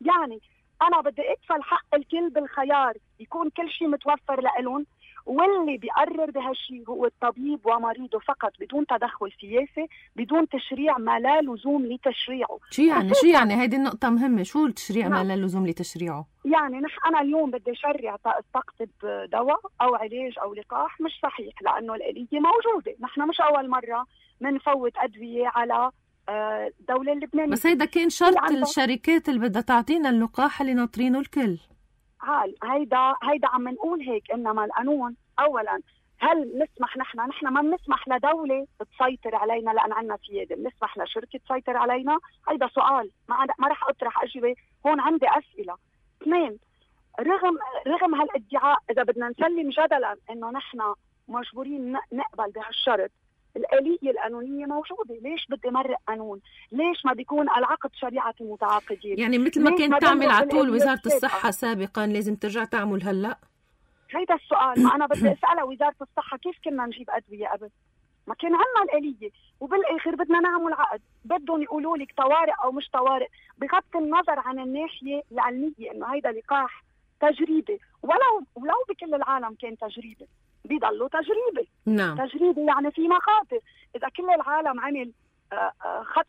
يعني انا بدي اكفل حق الكل بالخيار، يكون كل شيء متوفر لهم، واللي بيقرر بهالشيء هو الطبيب ومريضه فقط، بدون تدخل سياسي، بدون تشريع ما لا لزوم لتشريعه. شو يعني هيدي النقطة مهمة. شو التشريع ما لا لزوم لتشريعه؟ يعني أنا اليوم بدي شرع استقطب دواء أو علاج أو لقاح، مش صحيح، لأنه الآلية موجودة. نحن مش أول مرة منفوت أدوية على الدولة اللبنانية. بس هيدا كان شرط الشركات اللي بدها تعطينا اللقاح اللي ناطرينه الكل. هيدا عم نقول هيك. انما القانون اولا، هل نسمح نحن ما بنسمح لدولة تسيطر علينا لان عندنا سيادة؟ بنسمح لشركة تسيطر علينا؟ هيدا سؤال ما رح اطرح اجوبة هون. عندي اسئلة. اثنين، رغم هالادعاء، اذا بدنا نسلم جدلا انه نحن مجبورين نقبل بهالشرط، الآلية القانونية موجودة. ليش بدي مرق قانون؟ ليش ما بيكون العقد شريعة المتعاقدين؟ يعني مثل ما كانت تعمل على طول وزارة الصحة سابقا، لازم ترجع تعمل هلأ؟ هيدا السؤال ما أنا بدي أسأله وزارة الصحة. كيف كنا نجيب أدوية قبل؟ ما كان عنا الآلية، وبالآخر بدنا نعمل عقد. بدهم يقولوا لك طوارئ أو مش طوارئ، بغض النظر عن الناحية العلمية إنه هيدا لقاح تجريبي. ولو بكل العالم كان تجريبي، بيضلوا تجريبي. نعم. تجريبي يعني في مخاطر. إذا كل العالم عمل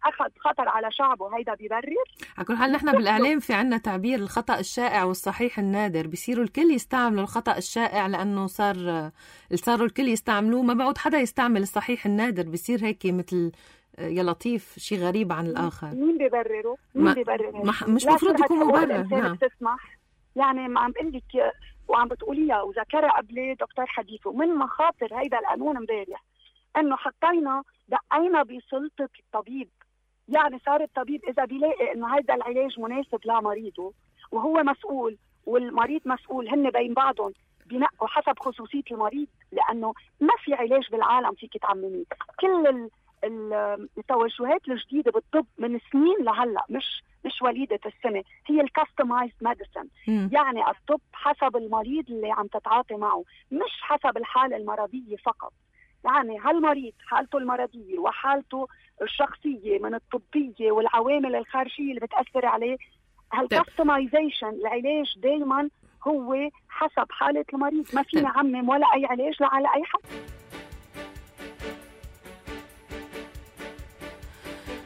أخذ خطر على شعبه، هيدا بيبرر؟ على كل حال نحن بالإعلام في عنا تعبير الخطأ الشائع والصحيح النادر. بيصيروا الكل يستعملوا الخطأ الشائع لأنه صاروا الكل يستعملوه، ما بعود حدا يستعمل الصحيح النادر. بيصير هيك مثل يا لطيف شيء غريب عن الآخر. مين بيبرره؟ مين بيبرر؟ مش مفروض يكون مبرر. نعم. تسمح يعني ما عم بقول لك وعم بتقوليها وذكرها قبل دكتور حديثه. من مخاطر هيدا القانون امبارح انه حطينا دقينا بسلطة الطبيب. يعني صار الطبيب اذا بيلاقي انه هيدا العلاج مناسب لمريضه وهو مسؤول والمريض مسؤول، هن بين بعضهم بينقوا حسب خصوصية المريض، لانه ما في علاج بالعالم فيك تعمميه. كل التوجهات الجديدة بالطب من سنين لهلا، مش وليدة السنة، هي الكاستمايزد ميديسن. يعني الطب حسب المريض اللي عم تتعاطي معه، مش حسب الحالة المرضية فقط. يعني هالمريض حالته المرضية وحالته الشخصية من الطبية والعوامل الخارجية اللي بتأثر عليه، هالكاستمايزيشن العلاج دايما هو حسب حالة المريض. ما فينا عمم ولا أي علاج على أي حد.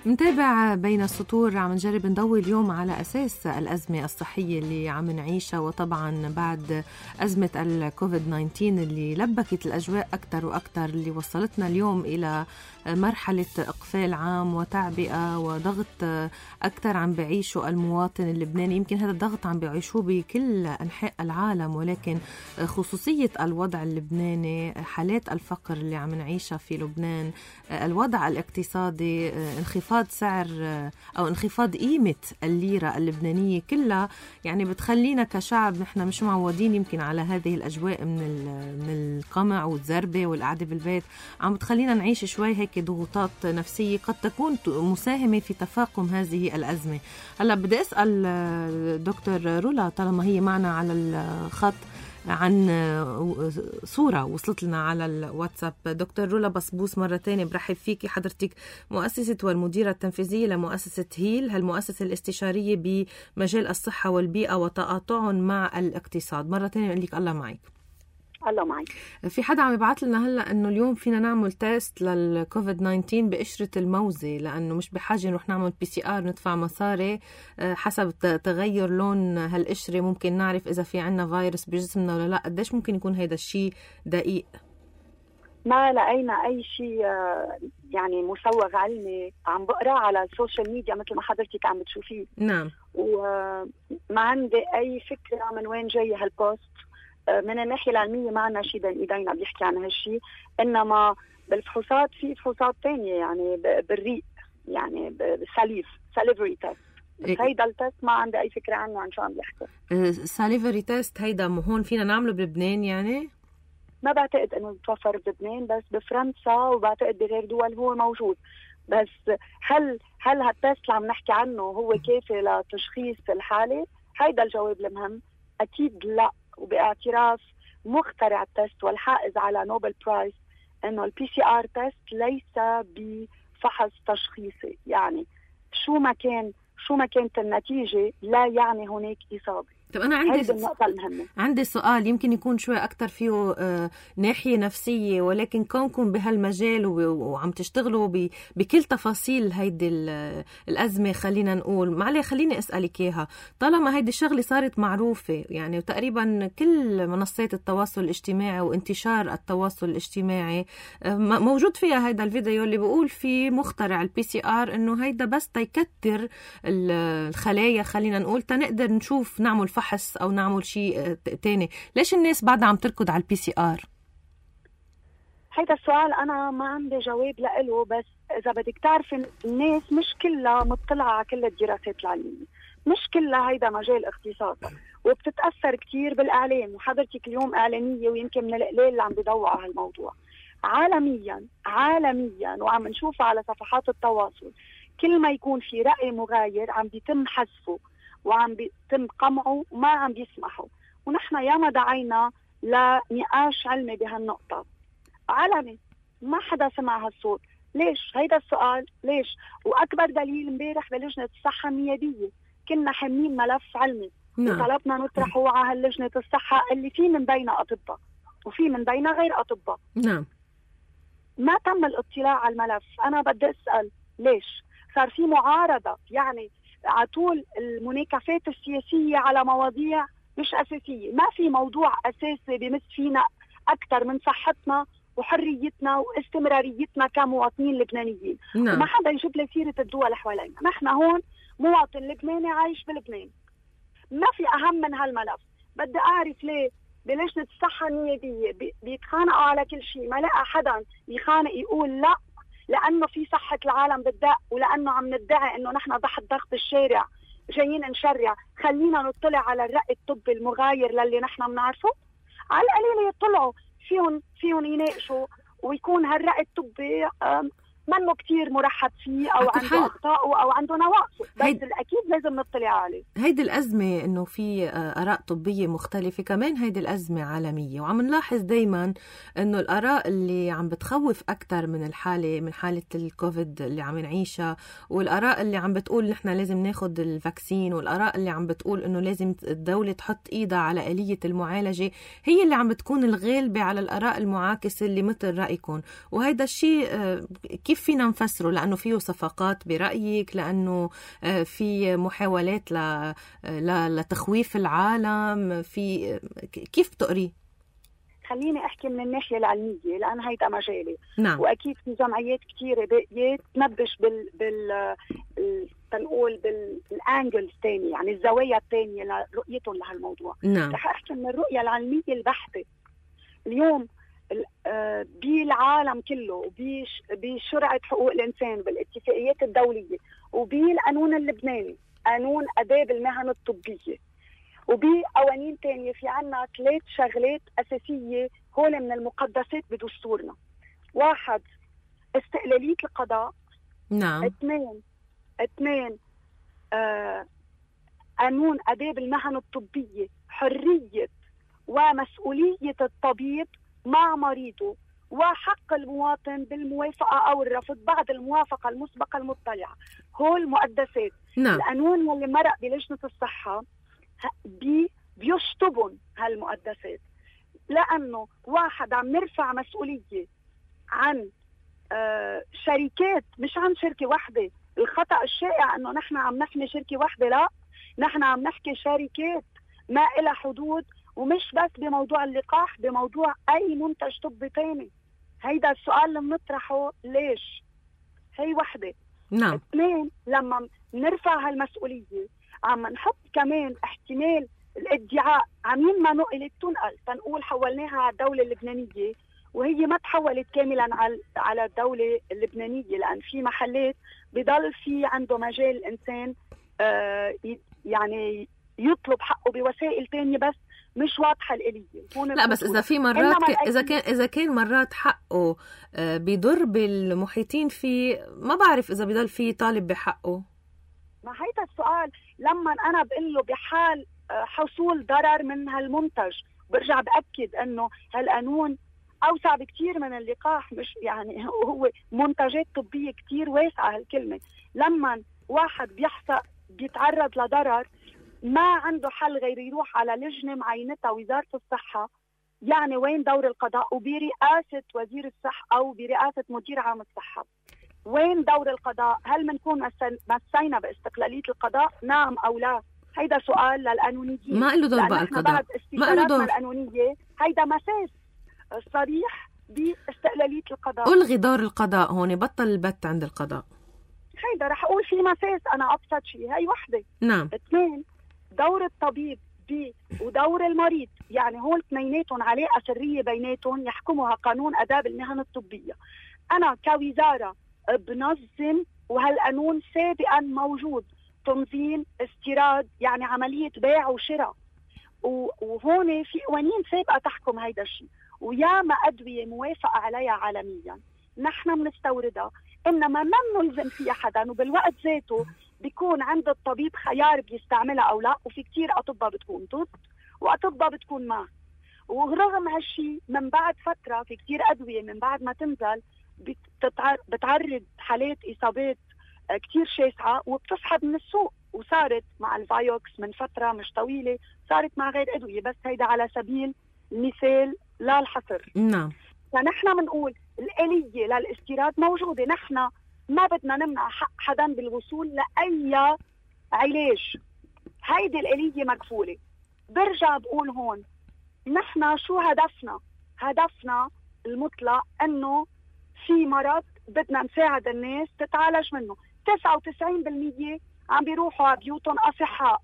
متابع بين السطور، عم نجرب نضوي اليوم على أساس الأزمة الصحية اللي عم نعيشها، وطبعا بعد أزمة الكوفيد-19 اللي لبكت الأجواء أكتر وأكتر، اللي وصلتنا اليوم إلى مرحلة إقفال عام وتعبئة وضغط أكتر عم بعيشه المواطن اللبناني. يمكن هذا الضغط عم بعيشوه بكل أنحاء العالم، ولكن خصوصية الوضع اللبناني، حالات الفقر اللي عم نعيشها في لبنان، الوضع الاقتصادي، انخفاض سعر أو انخفاض قيمة الليرة اللبنانية، كلها يعني بتخلينا كشعب نحن مش معودين يمكن على هذه الأجواء من القمع والزربة والقعدة بالبيت، عم بتخلينا نعيش شوي هيك ضغوطات نفسية قد تكون مساهمة في تفاقم هذه الأزمة. هلا بدي أسأل دكتور رولا طالما هي معنا على الخط عن صورة وصلت لنا على الواتساب. دكتور رولا بصبوس، مرة تانية برحب فيكي. حضرتك مؤسسة والمديرة التنفيذية لمؤسسة هيل، هالمؤسسة الاستشارية بمجال الصحة والبيئة وتقاطعهم مع الاقتصاد. مرة تانية بقول لك الله معك. الله معك. في حدا عم يبعث لنا هلا انه اليوم فينا نعمل تيست للكوفيد-19 بقشرة الموزة، لانه مش بحاجة نروح نعمل PCR ندفع مصاري. حسب تغير لون هالقشرة ممكن نعرف اذا في عنا فيروس بجسمنا ولا لا. قديش ممكن يكون هيدا الشيء دقيق؟ ما لقينا اي شيء يعني مسوغ علمي عم بقراه على السوشيال ميديا مثل ما حضرتك عم بتشوفيه. نعم. وما عندي اي فكرة من وين جاي هالبوست. من الناحية العلمية ما عنا شيء بين ايدينا بيحكي عن هالشيء، انما بالفحوصات في فحوصات تانية يعني بالريق، يعني بالساليف، ساليفري تيست. هيدا التيست ما عندي اي فكرة عنه عن شو عم بيحكي. ساليفري تيست هيدا هون فينا نعمله بلبنان؟ يعني ما بعتقد انه يتوفر بلبنان، بس بفرنسا وبعتقد بغير دول هو موجود. بس هل هالتيست اللي عم نحكي عنه هو كافي لتشخيص الحالة؟ هيدا الجواب المهم. اكيد لا. وباعتراف مخترع التست والحائز على نوبل برايز انه الPCR تيست ليس بفحص تشخيصي، يعني شو ما كانت النتيجة لا يعني هناك إصابة. طب أنا عندي سؤال يمكن يكون شوي أكتر فيه ناحية نفسية، ولكن كونكم بهالمجال وعم تشتغلوا بكل تفاصيل هيدي الأزمة، خلينا نقول معلي خليني أسألك إياها. طالما هيدي الشغلة صارت معروفة يعني وتقريبا كل منصات التواصل الاجتماعي وانتشار التواصل الاجتماعي موجود فيها هيدا الفيديو اللي بيقول في مخترع الPCR إنه هيدا بس تيكتر الخلايا، خلينا نقول تنقدر نشوف نعمل فحص أو نعمل شيء تاني. ليش الناس بعدها عم تركض على الPCR؟ هيدا السؤال أنا ما عندي جواب لإله، بس إذا بدك تعرفي الناس مش كلها مطلعة على كل الدراسات العلمية، مش كلها هيدا مجال اختصاص، وبتتأثر كتير بالإعلام. وحضرتك اليوم إعلامية ويمكن من القليل اللي عم بيضوّع على هالموضوع. عالميا وعم نشوفها على صفحات التواصل، كل ما يكون في رأي مغاير عم بيتم حذفه وعم بيتم قمعه وما عم بيسمحوا. ونحن ياما دعينا لنقاش علمي بهالنقطة عالمي، ما حدا سمع هالصوت. ليش؟ هيدا السؤال ليش؟ وأكبر دليل امبارح بلجنة الصحة النيابية كنا حاملين ملف علمي وطلبنا نطرحه على لجنة الصحة اللي في من بينها أطباء وفي من بينها غير أطباء. نعم. ما تم الاطلاع على الملف. أنا بدي أسأل ليش؟ صار في معارضة يعني على طول المناكفات السياسية على مواضيع مش أساسية. ما في موضوع أساسي بمس فينا أكثر من صحتنا وحريتنا واستمراريتنا كمواطنين لبنانيين. وما حدا يجيب لي سيرة الدول حوالينا. نحن هون مواطن لبناني عايش بلبنان، ما في أهم من هالملف. بدي أعرف ليه بلجنة الصحة النيابية بيتخانقوا على كل شيء، ما لقى حدا يخانق يقول لا لأنه في صحة العالم بالدق، ولأنه عم ندعي إنه نحن تحت ضغط الشارع جايين نشرع. خلينا نطلع على الرأي الطبي المغاير للي نحن بنعرفه. على القليل يطلعوا فيهم يناقشوا ويكون هالرأي الطبي منه كتير مرحب فيه أو عنده أخطاء أو عنده نواقص، بس الأكيد لازم نطلع عليه. هيدي الأزمة إنه في آراء طبية مختلفة، كمان هيدي الأزمة عالمية، وعم نلاحظ دايما إنه الآراء اللي عم بتخوف أكتر من حالة الكوفيد اللي عم نعيشها، والآراء اللي عم بتقول نحن لازم ناخد الفاكسين، والآراء اللي عم بتقول إنه لازم الدولة تحط إيدها على آلية المعالجة، هي اللي عم بتكون الغالبة على الآراء المعاكسة اللي مثل رأيكم. وهيدا الشيء كيف فينا نفسره؟ لأنه فيه صفقات برأيك؟ لأنه في محاولات لتخويف العالم؟ كيف بتقري؟ خليني أحكي من الناحية العلمية لأن هيدا مجالي. نعم. وأكيد في جمعيات كتيرة بقيت تنبش تنقول بالانجل الثاني، يعني الزوايا الثانية لرؤيتهم لهالموضوع. نعم. رح أحكي من الرؤية العلمية البحتة. اليوم بالعالم كله وبشرعة حقوق الإنسان وبالاتفاقيات الدولية وبالقانون اللبناني، قانون آداب المهن الطبية، وبقوانين تانية، في عنا 3 شغلات أساسية هول من المقدسات بدستورنا. 1 استقلالية القضاء. نعم. 2 قانون آداب المهن الطبية، حرية ومسؤولية الطبيب مع مريضه، وحق المواطن بالموافقة أو الرفض بعد الموافقة المسبقة المطلعة. هول مقدسات. نعم. القانون اللي مرق بلجنة الصحة بيشطبن هالمقدسات، لأنه 1 عم نرفع مسؤولية عن شركات، مش عن شركة واحدة. الخطأ الشائع أنه نحن عم نحمي شركة واحدة، لا، نحن عم نحكي شركات ما إلى حدود، ومش بس بموضوع اللقاح، بموضوع أي منتج طبي تاني. هيدا السؤال اللي بنطرحه، ليش؟ هي 1. نعم. 2 لما نرفع هالمسؤولية عم نحط كمان احتمال الادعاء عمين ما نقلت تنقول حولناها على الدولة اللبنانية، وهي ما تحولت كاملا على الدولة اللبنانية، لأن في محلات بضل في عنده مجال الإنسان يعني يطلب حقه بوسائل تانية بس مش واضحة الآلية. لا بس إذا في مرات إذا كان مرات حقه بيضر بالمحيطين فيه، ما بعرف إذا بيضل فيه طالب بحقه. ما هيدا السؤال. لما أنا بقول له بحال حصول ضرر من هالمنتج، برجع بأكد أنه هالقانون أوسع بكتير من اللقاح، مش يعني هو منتجات طبية كتير واسعة هالكلمة. لما واحد بيتعرض لضرر ما عنده حل غير يروح على لجنة معينتها وزارة الصحة، يعني وين دور القضاء؟ وبرئاسة وزير الصحة أو برئاسة مدير عام الصحة، وين دور القضاء؟ هل منكون مسينا باستقلالية القضاء؟ نعم أو لا؟ هيدا سؤال للقانونيين. ما له دور بقى القضاء، ما له دور القانونية. هيدا مساس صريح باستقلالية القضاء. ألغي دور القضاء هون، بطل البت عند القضاء. هيدا رح أقول في مساس، أنا أبسط شيء. هاي 1. 2 دور الطبيب ودور المريض، يعني هول اثنيناتهم علاقة سرية بيناتهم يحكمها قانون آداب المهن الطبية. أنا كوزارة بنظم، وهالقانون سابقا موجود، تنظيم استيراد، يعني عملية بيع وشراء، وهون في قوانين سابقة تحكم هيدا الشيء، وياما أدوية موافقة عليها عالميا نحن بنستوردها، إنما ما نلزم فيها حدا، وبالوقت ذاته بيكون عند الطبيب خيار بيستعملها أو لا. وفي كتير أطباء بتكون ضد وأطباء بتكون مع. ورغم هالشي من بعد فترة في كتير أدوية من بعد ما تنزل بتعرض حالات إصابات كتير شاسعة وبتسحب من السوق. وصارت مع الفايوكس من فترة مش طويلة، صارت مع غير أدوية، بس هيدا على سبيل المثال لا الحصر. نعم. فنحن بنقول الآلية للاستيراد موجودة، نحن ما بدنا نمنع حق حدا بالوصول لأي علاج، هيدي الآلية مكفولة. برجع بقول هون نحن شو هدفنا المطلق، أنه في مرض بدنا نساعد الناس تتعالج منه. 99% عم بيروحوا على بيوتهم أصحاء.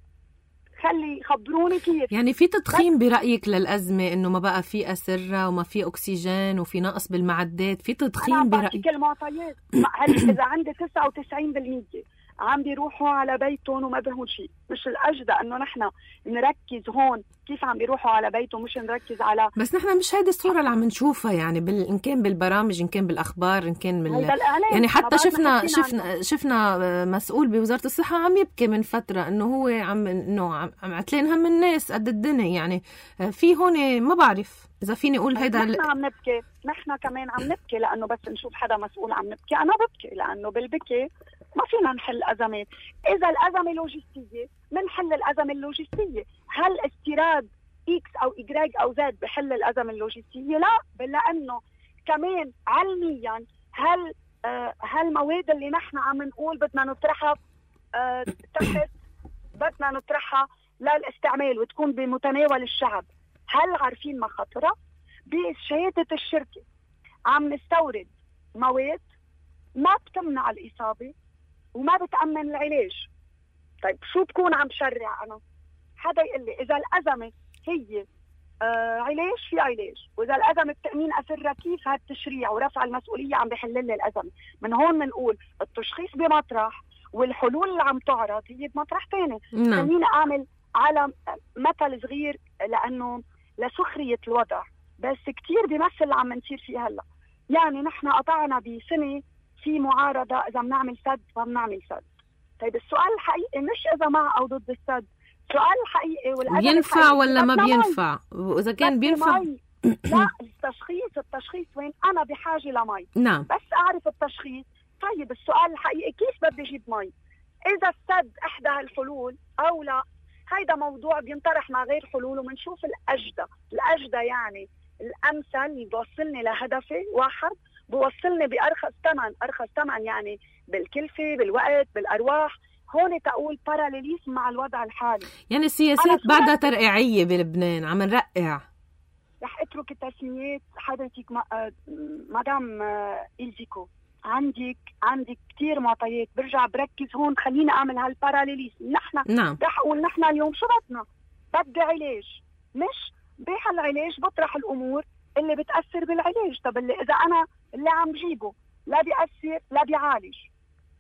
خبروني كيف. يعني في تضخيم برأيك للأزمة، إنه ما بقى في أسرة وما في أكسجين وفي نقص بالمعدات، في تضخيم برأيك؟ أنا المعطيات. إذا عندي 99% عم بيروحوا على بيتهم وما بهون شيء. مش الأجدى انه نحن نركز هون كيف عم بيروحوا على بيتهم، مش نركز على بس نحن مش هيدي الصورة اللي عم نشوفها يعني إن كان بالبرامج، إن كان بالأخبار، إن كان يعني حتى شفنا مسؤول بوزارة الصحة عم يبكي من فترة إنه هو عم عتلين هم الناس قد الدنيا. يعني في هون ما بعرف إذا فيني أقول هيدا نحن عم نبكي، نحن كمان عم نبكي لأنه بس نشوف حدا مسؤول عم نبكي. أنا ببكي لأنه بالبكي ما فينا نحل أزمات. إذا الأزمة لوجستية منحل الأزمة اللوجستية. هل استيراد إكس أو إجراج أو زد بحل الأزمة اللوجستية؟ لا، لأنه كمان علميا هالمواد اللي نحن عم نقول بدنا نطرحها تحت، بدنا نطرحها للاستعمال وتكون بمتناول الشعب، هل عارفين مخاطرها؟ بشهادة الشركة عم نستورد مواد ما بتمنع الإصابة وما بتأمن العلاج. طيب شو بكون عم بشرع أنا؟ حدا يقول لي إذا الأزمة هي علاج في علاج، وإذا الأزمة بتأمين أسرة كيف هالتشريع ورفع المسؤولية عم بيحل لي الأزمة؟ من هون بنقول التشخيص بمطرح والحلول اللي عم تعرض هي بمطرح تاني. خليني أعمل على مثل صغير لأنه لسخرية الوضع، بس كتير بيمثل اللي عم نصير فيه هلا. يعني نحن قطعنا بسنة في معارضة إذا بنعمل سد فبنعمل سد. طيب السؤال الحقيقي مش إذا مع أو ضد السد، السؤال الحقيقي بينفع ولا ما بينفع؟ وإذا كان بينفع لا، التشخيص وين؟ أنا بحاجة لمي. نعم. بس أعرف التشخيص. طيب السؤال الحقيقي كيف بدي أجيب مي؟ إذا السد إحدى الحلول أو لا، هيدا موضوع بينطرح مع غير حلول ومنشوف الأجدى يعني الأمثل اللي بوصلني لهدفي واحد، بوصلني أرخص ثمن يعني بالكلفة بالوقت بالأرواح. هون تقول باراليليزم مع الوضع الحالي. يعني السياسات بعدها ترقيعية بلبنان، عم نرقع. رح اترك التسميات حضرتك مدام إلزيكو. عندك كتير معطيات، برجع بركز هون. خلينا اعمل هالباراليليزم. نحن رح اقول نحن اليوم شو بدي علاج، مش بهالعلاج بطرح الامور اللي بتاثر بالعلاج. طب اذا انا اللي عم بجيبه لا بيأثر لا بيعالج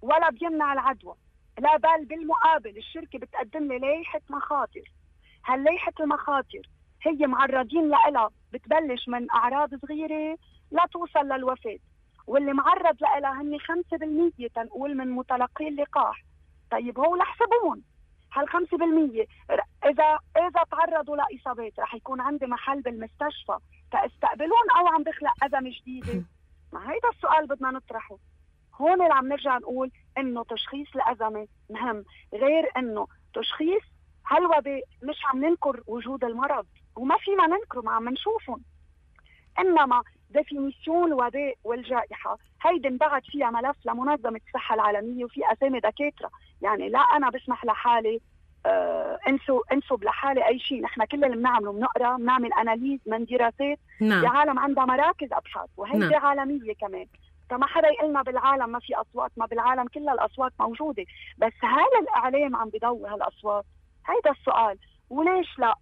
ولا بيمنع العدوى، لا بل بالمقابل الشركه بتقدم لي لائحه مخاطر. هاللائحه المخاطر هي معرضين لها، بتبلش من اعراض صغيره لا توصل للوفاه، واللي معرض لها هن 5% تنقول من متلقي اللقاح. طيب هو لحسبون هال5%، اذا تعرضوا لاصابات رح يكون عندي محل بالمستشفى تستقبلون او عم بخلق ازمه جديده؟ ما هيدا السؤال بدنا نطرحه. هون اللي عم نرجع نقول انه تشخيص الازمه مهم، غير انه تشخيص هالوباء. مش عم ننكر وجود المرض وما فينا ننكره، ما عم نشوفهم، انما ديفينيسيون الوباء والجائحة هيدي انبعت فيها ملف لمنظمة الصحة العالمية وفي أسامي دكاترة. يعني لا أنا بسمح لحالي انسب لحالي أي شيء. نحن كل اللي بنعمله بنقرأ، بنعمل أناليز من دراسات. نعم. عالم عندها مراكز أبحاث وهيدي نعم. عالمية كمان. فما حدا يقلنا بالعالم ما في أصوات، ما بالعالم كل الأصوات موجودة، بس هل الإعلام عم بيضوي هالأصوات؟ هيدا السؤال. وليش لا؟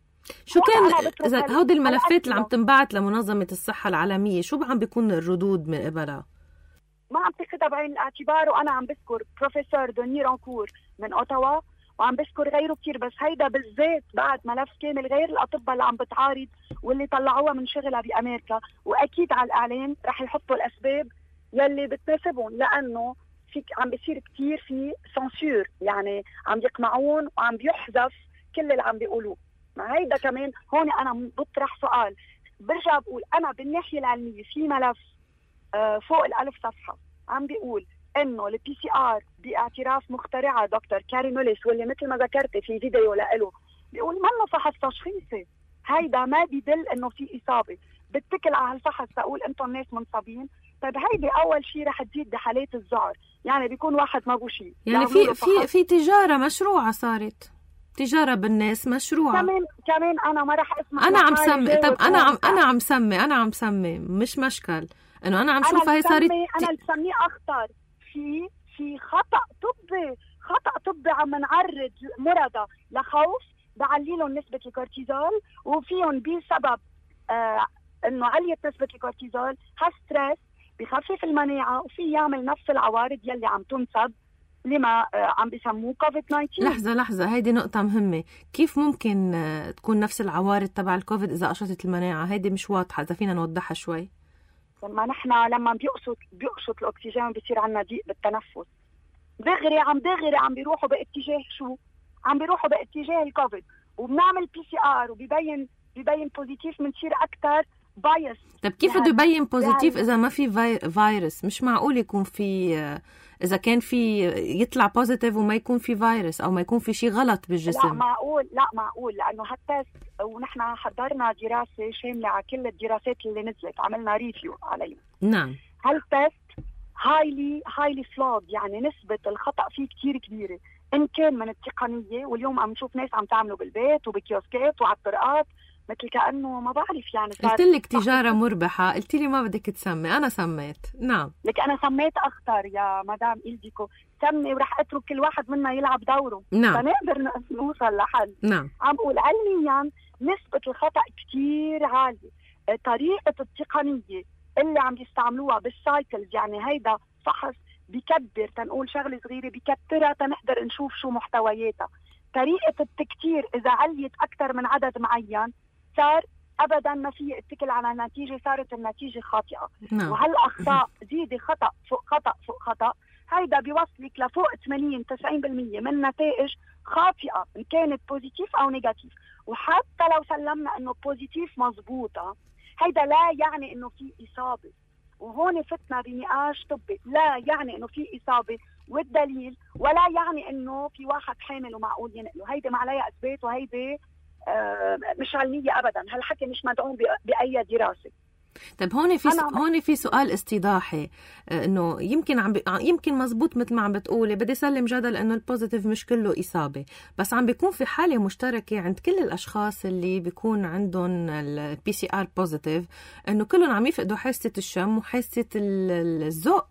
شو كان إذا هودي الملفات اللي عم تنبعت لمنظمة الصحة العالمية شو عم بيكون الردود من قبلها؟ ما عم تاخدها بعين الاعتبار. وأنا عم بذكر بروفيسور دوني رانكور من أوتاوا وعم بذكر غيره كتير، بس هيدا بالذات بعد ملف كامل غير الأطباء اللي عم بتعارض واللي طلعوها من شغلها بأمريكا. وأكيد على الإعلام رح يحطوا الأسباب يلي بتناسبهم، لأنه عم بيصير كتير في سنسور، يعني عم يقمعون وعم بيحذف كل اللي عم بيقولوه. ما هيدا كمان هون أنا بطرح سؤال. برجع بقول أنا بالناحية العلمية في ملف فوق 1000 صفحة عم بيقول إنه البي سي آر باعتراف مخترعة دكتور كاري موليس، واللي مثل ما ذكرت في فيديو لإله بيقول منه فحص تشخيصي. هيدا ما بيدل إنه في إصابة. بتكل على هالفحص تقول أنتم الناس منصابين. طيب هيدي أول شيء رح تزيد بحالات الذعر، يعني بيكون واحد ما بو شيء. يعني في تجارة مشروعة، صارت تجارة بالناس مشروعة. كمان أنا ما رح اسمع. أنا عم سمي. طب أنا عم سمي مش مشكل إنه أنا عم شوفها هي صارت. أنا اللي بسميه أخطر في خطأ طبي عم نعرض مرضى لخوف، بعليلهم نسبة الكورتيزول وفيهم بسبب إنه علية نسبة الكورتيزول هالستريس بخفف المناعة وفي يعمل نفس العوارض يلي عم تنسب لما عم بيسموه كوفيد 19. لحظة هيدي نقطة مهمة. كيف ممكن تكون نفس العوارض تبع الكوفيد إذا قشطت المناعة؟ هيدي مش واضحة، إذا فينا نوضحها شوي. لما بيقشط الأكسجين بيصير عنا ضيق بالتنفس، دغري عم بيروحوا باتجاه شو؟ عم بيروحوا باتجاه الكوفيد، وبنعمل PCR وبيبين بوزيتيف، بنصير أكتر بايس. طب كيف بده يبين بوزيتيف إذا ما في فيروس؟ مش معقول يكون في، إذا كان في يطلع بوزيتيف وما يكون في فيروس أو ما يكون في شيء غلط بالجسم. لا معقول لأنه هالتست، ونحن حضرنا دراسة شاملة على كل الدراسات اللي نزلت، عملنا ريفيو عليها. نعم. هالتست highly flawed، يعني نسبة الخطأ فيه كتير كبيرة، إن كان من التقنية، واليوم عم نشوف ناس عم تعمله بالبيت وبكيوسكات وعلى الطرقات، مثل كأنه ما بعرف يعني. قلت لك تجارة مربحة، قلت لي ما بدك تسمي، أنا سميت. نعم لك أنا سميت أخطر يا مدام إلديكو، سمي ورح أترك كل واحد منا يلعب دوره. نعم. فنقدر نوصل لحل. نعم. عم بقول علميا نسبة الخطأ كتير عالية. طريقة التقنية اللي عم يستعملوها بالسايكلز، يعني هيدا فحص بكبر، تنقول شغلة صغيرة بكبرها تنقدر نشوف شو محتوياتها. طريقة التكتير إذا عليت أكتر من عدد معين صار أبدا ما في اتكل على النتيجة، صارت النتيجة خاطئة. نعم. وهالأخطاء زيد خطأ فوق خطأ فوق خطأ، هيدا بيوصلك لفوق 80-90% من نتائج خاطئة، إن كانت بوزيتيف أو نيجاتيف. وحتى لو سلمنا إنه بوزيتيف مزبوطة، هيدا لا يعني إنه في إصابة. وهون فتنا بنقاش طبي، لا يعني إنه في إصابة والدليل، ولا يعني إنه في واحد حامل ومعقول ينقله. هيدا ما عليها إثبات، وهيدا مش علمية أبدا. هالحكي مش مدعوم بأي دراسة. طب هون في سؤال استيضاحي، انه يمكن مزبوط مثل ما عم بتقولي، بدي سلم جدل انه البوزيتيف مش كله اصابه، بس عم بيكون في حاله مشتركه عند كل الاشخاص اللي بيكون عندهم الPCR بوزيتيف، انه كلهم عم يفقدوا حاسه الشم وحاسه الذوق.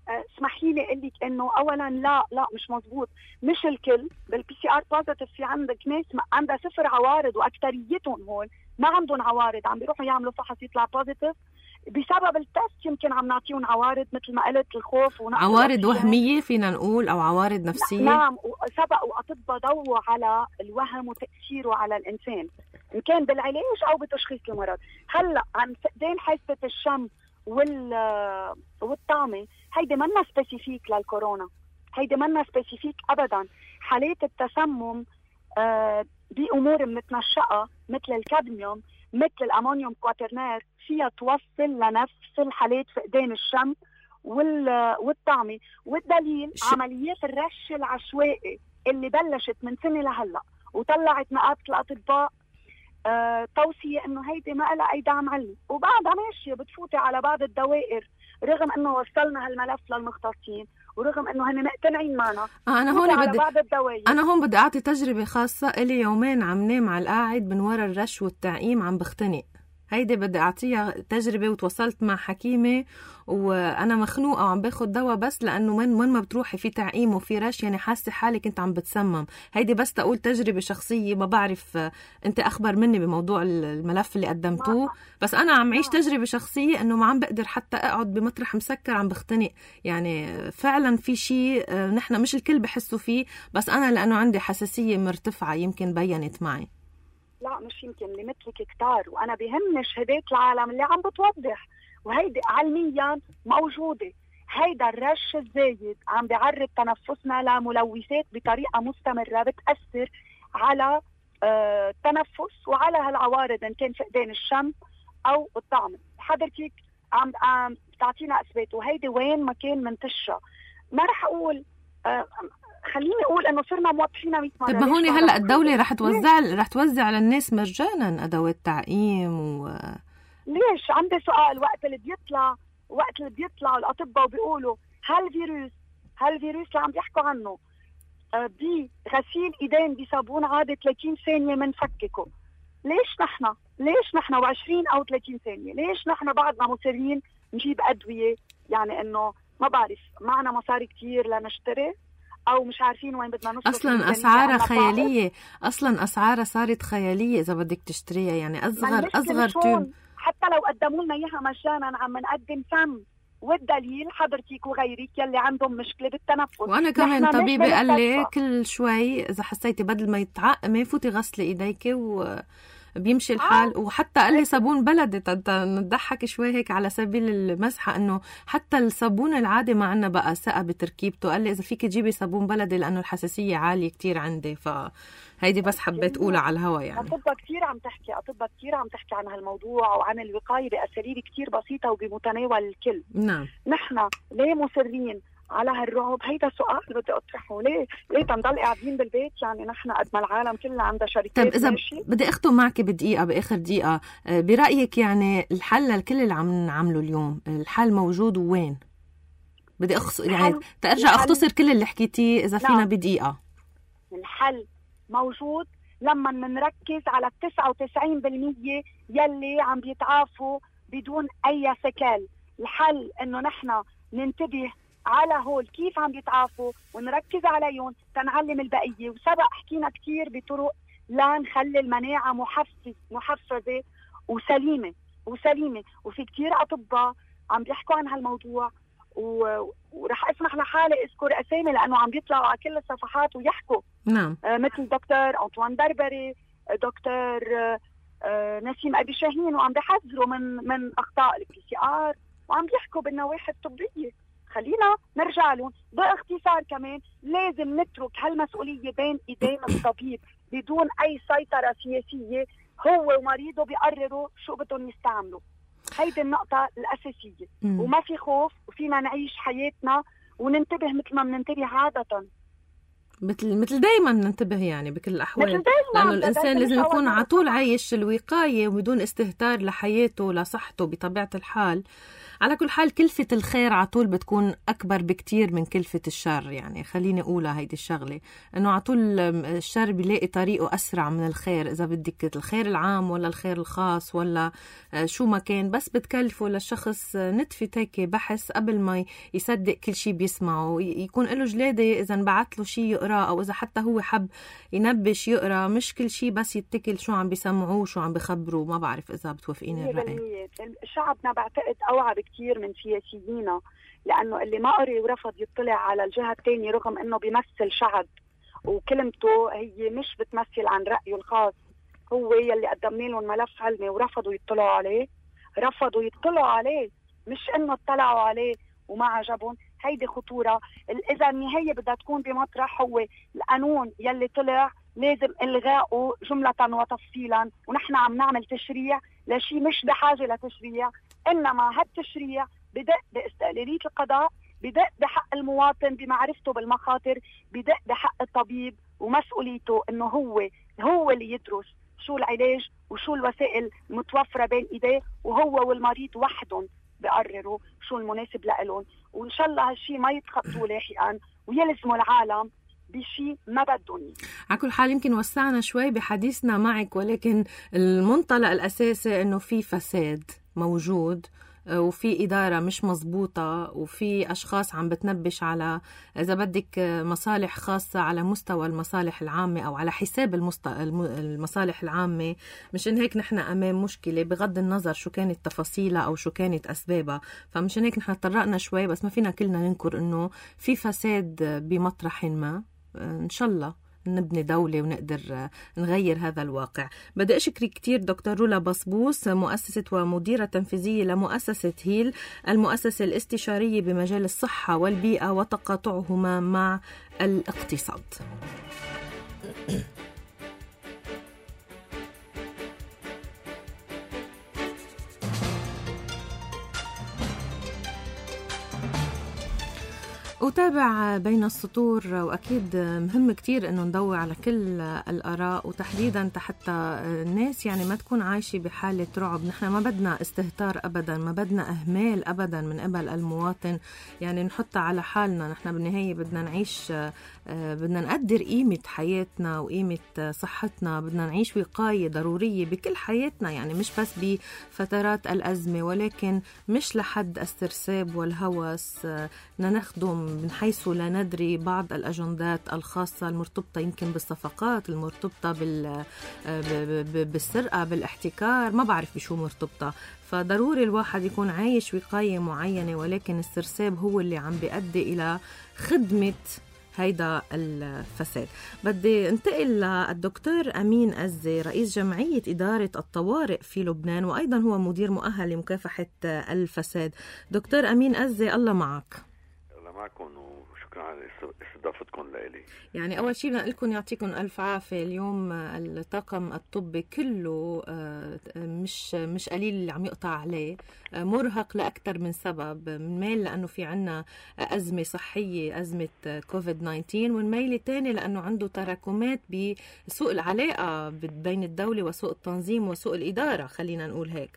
اسمحي لي اقول لك انه اولا لا مش مزبوط. مش الكل بالPCR بوزيتيف، في عندك ناس عندها 0 عوارض، واكثريتهم هون ما عندهم عوارض، عم بيروحوا يعملوا فحص يطلع بوزيتيف بسبب التست. يمكن عم نعطيهم عوارض مثل ما قلت، الخوف عوارض وهمية فينا نقول، أو عوارض نفسية. نعم، وسبقوا أطباء ضووا على الوهم وتأثيره على الإنسان، إن كان بالعلاج أو بتشخيص المرض. هلأ عن فقدان حاسة الشم والطعمة، هيدي منا سبيسيفيك للكورونا، هيدي منا سبيسيفيك أبدا. حالات التسمم بأمور متنشئة مثل الكادميوم، مثل الأمونيوم كواترنير، فيها توصل لنفس الحالات فقدان الشم والطعمة. والدليل عمليات الرش العشوائي اللي بلشت من سنة لهلأ، وطلعت نقابة الأطباء توصية إنه هيدي ما لها أي دعم علمي، وبعدها ماشية بتفوتي على بعض الدوائر، رغم إنه وصلنا هالملف للمختصين، ورغم إنه هن مقتنعين معنا. أنا هون بدي أعطي تجربة خاصة إلي. يومين عم نام على القاعد من وراء الرش والتعقيم، عم بختنق. هيدي بدي أعطيها تجربة، وتوصلت مع حكيمة وأنا مخنوقة وعم باخد دواء، بس لأنه وين ما بتروحي في تعقيم وفي رش، يعني حاسة حالي كنت عم بتسمم. هيدي بس تقول تجربة شخصية، ما بعرف أنت أخبر مني بموضوع الملف اللي قدمتوه، بس أنا عم عيش تجربة شخصية إنه ما عم بقدر حتى أقعد بمطرح مسكر، عم بختنق. يعني فعلا في شيء نحن مش الكل بحسوا فيه، بس أنا لأنه عندي حساسية مرتفعة يمكن بينت معي. لا مش يمكن، اللي مثلك كتار، وأنا بهمني شهادات العالم اللي عم بتوضح، وهيدي علميا موجودة. هيدا الرش الزايد عم بيعرض تنفسنا لملوثات بطريقة مستمرة بتأثر على التنفس وعلى هالعوارض، إن كان فقدان الشم أو الطعم. حضرتك عم تعطينا أثبات، وهيدي وين ما كان منتشرة. ما رح أقول خليني أقول إنه صرنا موضحينها 100 مرة. طب ما هون هلأ الدولة رح توزع على الناس مجانا أدوات تعقيم ليش؟ عندي سؤال. وقت اللي بيطلع الأطباء وبيقولوا هالفيروس اللي عم بيحكوا عنه بغسيل إيدين بصابون عادي 30 ثانية منفككه، ليش نحن و20 أو 30 ثانية؟ ليش نحن بعدنا مصرين نجيب أدوية؟ يعني إنه ما بعرف، معنا مصاري كتير لنشتري، أو مش عارفين وين بدنا نصرف. أصلا أسعارها خيالية، أصلا أسعارها صارت خيالية إذا بدك تشتريها. يعني أصغر تيوب حتى لو قدموا لنا إياها مجانا عم نقدم فم، والدليل حضرتك وغيرك يلي عندهم مشكلة بالتنفس. وأنا كمان طبيبي قال لي كل شوي إذا حسيتي بدل ما يتعقمي فوتي غسلي إيديك وبيمشي الحال. وحتى قال لي صابون بلدي، نضحك شوي هيك على سبيل المزحة إنه حتى الصابون العادي ما عنا بقى ثقة بتركيبته. قال لي إذا فيك تجيبي صابون بلدي لأنه الحساسية عالية كتير عندي. فهيدي بس حبيت أقولها على الهوا يعني. أطباء كتير عم تحكي عن هالموضوع وعن الوقاية بأساليب كتير بسيطة وبمتناول الكل. نعم. نحن ليه مصرين على هالرعب؟ هيدا سؤال بدي أطرحه. ليه تنضل قاعدين بالبيت؟ يعني نحن قد ما العالم كلها عندها شركات. طيب إذا بدي أختم معك بآخر دقيقة، برأيك يعني الحل لكل اللي عم نعمله اليوم، الحل موجود وين؟ بدي يعني ترجع أختصر كل اللي حكيتيه إذا فينا بدقيقة. الحل موجود لما نركز على 99% يلي عم بيتعافوا بدون أي سكال. الحل إنه نحن ننتبه على هول كيف عم بيتعافوا ونركز عليهم تنعلم البقية. وسبق حكينا كتير بطرق لا نخلي المناعة محفزة وسليمة. وفي كتير أطباء عم بيحكوا عن هالموضوع، ورح اسمح لحالي اذكر اسامي لانه عم بيطلعوا على كل الصفحات ويحكوا. نعم. مثل دكتور أنطوان بربري، دكتور نسيم أبي شاهين، وعم بيحذروا من أخطاء الPCR وعم بيحكوا بالنواحي الطبية. خلينا نرجع لهم باختصار. كمان لازم نترك هالمسؤولية بين ايدين الطبيب بدون اي سيطرة سياسية. هو ومريضه بيقرروا شو بدهم يستعملوا. هيدي النقطة الأساسية. وما في خوف وفينا نعيش حياتنا وننتبه مثل ما بننتبه عادة، مثل دايما ننتبه يعني بكل الأحوال، لأنه الإنسان لازم يكون على طول عايش الوقاية وبدون استهتار لحياته لصحته بطبيعة الحال. على كل حال كلفة الخير على طول بتكون أكبر بكتير من كلفة الشر. يعني خليني أقولها هيدي الشغلة، أنه على طول الشر بيلاقي طريقه أسرع من الخير. إذا بدك الخير العام ولا الخير الخاص ولا شو ما كان، بس بتكلفه للشخص نتفة هيك بحث قبل ما يصدق كل شي بيسمعه، يكون له جلادة إذا انبعت له شي يقرأ، أو إذا حتى هو حب ينبش يقرأ، مش كل شي بس يتكل شو عم بيسمعوه شو عم بخبروا. ما بعرف إذا بتوافقيني الرأي. شعبنا بعتقد أوعى بكتير من سياسيينا، لأنه اللي ما قري ورفض يطلع على الجهة الثانية رغم أنه بيمثل شعب وكلمته هي مش بتمثل عن رأيه الخاص. هو يلي قدمنا لهم ملف علمي ورفضوا يطلعوا عليه، مش أنه اطلعوا عليه وما عجبهم. هيدي خطورة. إذا النهاية بدها تكون بمطرح هو القانون يلي طلع لازم إلغاؤه جملة وتفصيلا. ونحن عم نعمل تشريع لشي مش بحاجة لتشريع، إنما هالتشريع بدأ باستقلالية القضاء، بدأ بحق المواطن بمعرفته بالمخاطر، بدأ بحق الطبيب ومسؤوليته إنه هو اللي يدرس شو العلاج وشو الوسائل المتوفرة بين إيديه، وهو والمريض وحدهم بقرروا شو المناسب لهم. وإن شاء الله هالشي ما يتخطوا لاحقا ويلزموا العالم بشي ما بدهم. على كل حال يمكن وسعنا شوي بحديثنا معك، ولكن المنطلق الأساسي إنه في فساد موجود وفي إدارة مش مزبوطة وفي أشخاص عم بتنبش على إذا بدك مصالح خاصة على مستوى المصالح العامة أو على حساب المصالح العامة. مشان هيك نحن أمام مشكلة بغض النظر شو كانت تفاصيلها أو شو كانت أسبابها. فمشان هيك نحن تطرقنا شوي، بس ما فينا كلنا ننكر إنه في فساد بمطرح ما. إن شاء الله نبني دولة ونقدر نغير هذا الواقع. بدي أشكرك كتير دكتور رولا بصبوس، مؤسسة ومديرة تنفيذية لمؤسسة هيل، المؤسسة الاستشارية بمجال الصحة والبيئة وتقاطعهما مع الاقتصاد. أتابع بين السطور، وأكيد مهم كتير أنه ندور على كل الآراء، وتحديدا حتى الناس يعني ما تكون عايشة بحالة رعب. نحن ما بدنا استهتار أبدا، ما بدنا إهمال أبدا من قبل المواطن، يعني نحط على حالنا. نحن بالنهاية بدنا نعيش، بدنا نقدر قيمة حياتنا وقيمة صحتنا، بدنا نعيش وقاية ضرورية بكل حياتنا، يعني مش بس بفترات الأزمة، ولكن مش لحد السرساب والهوس بدنا نخدم من حيث لا ندري بعض الأجندات الخاصة المرتبطة يمكن بالصفقات، المرتبطة بالسرقة، بالاحتكار، ما بعرف بشو مرتبطة. فضروري الواحد يكون عايش وقاية معينة، ولكن السرساب هو اللي عم بيؤدي إلى خدمة هيدا الفساد. بدي انتقل للدكتور أمين أزي، رئيس جمعية إدارة الطوارئ في لبنان، وأيضا هو مدير مؤهل لمكافحة الفساد. دكتور أمين أزي، الله معك. الله معكم، وشكرا على استضافتكم لإلي. يعني أول شيء بدنا لكم يعطيكم ألف عافية. اليوم الطاقم الطبي كله مش قليل اللي عم يقطع عليه، مرهق لأكثر من سبب. منميل لأنه في عنا أزمة صحية، أزمة كوفيد-19، والميل الثاني لأنه عنده تراكمات بسوء العلاقة بين الدولة وسوء التنظيم وسوء الإدارة، خلينا نقول هيك.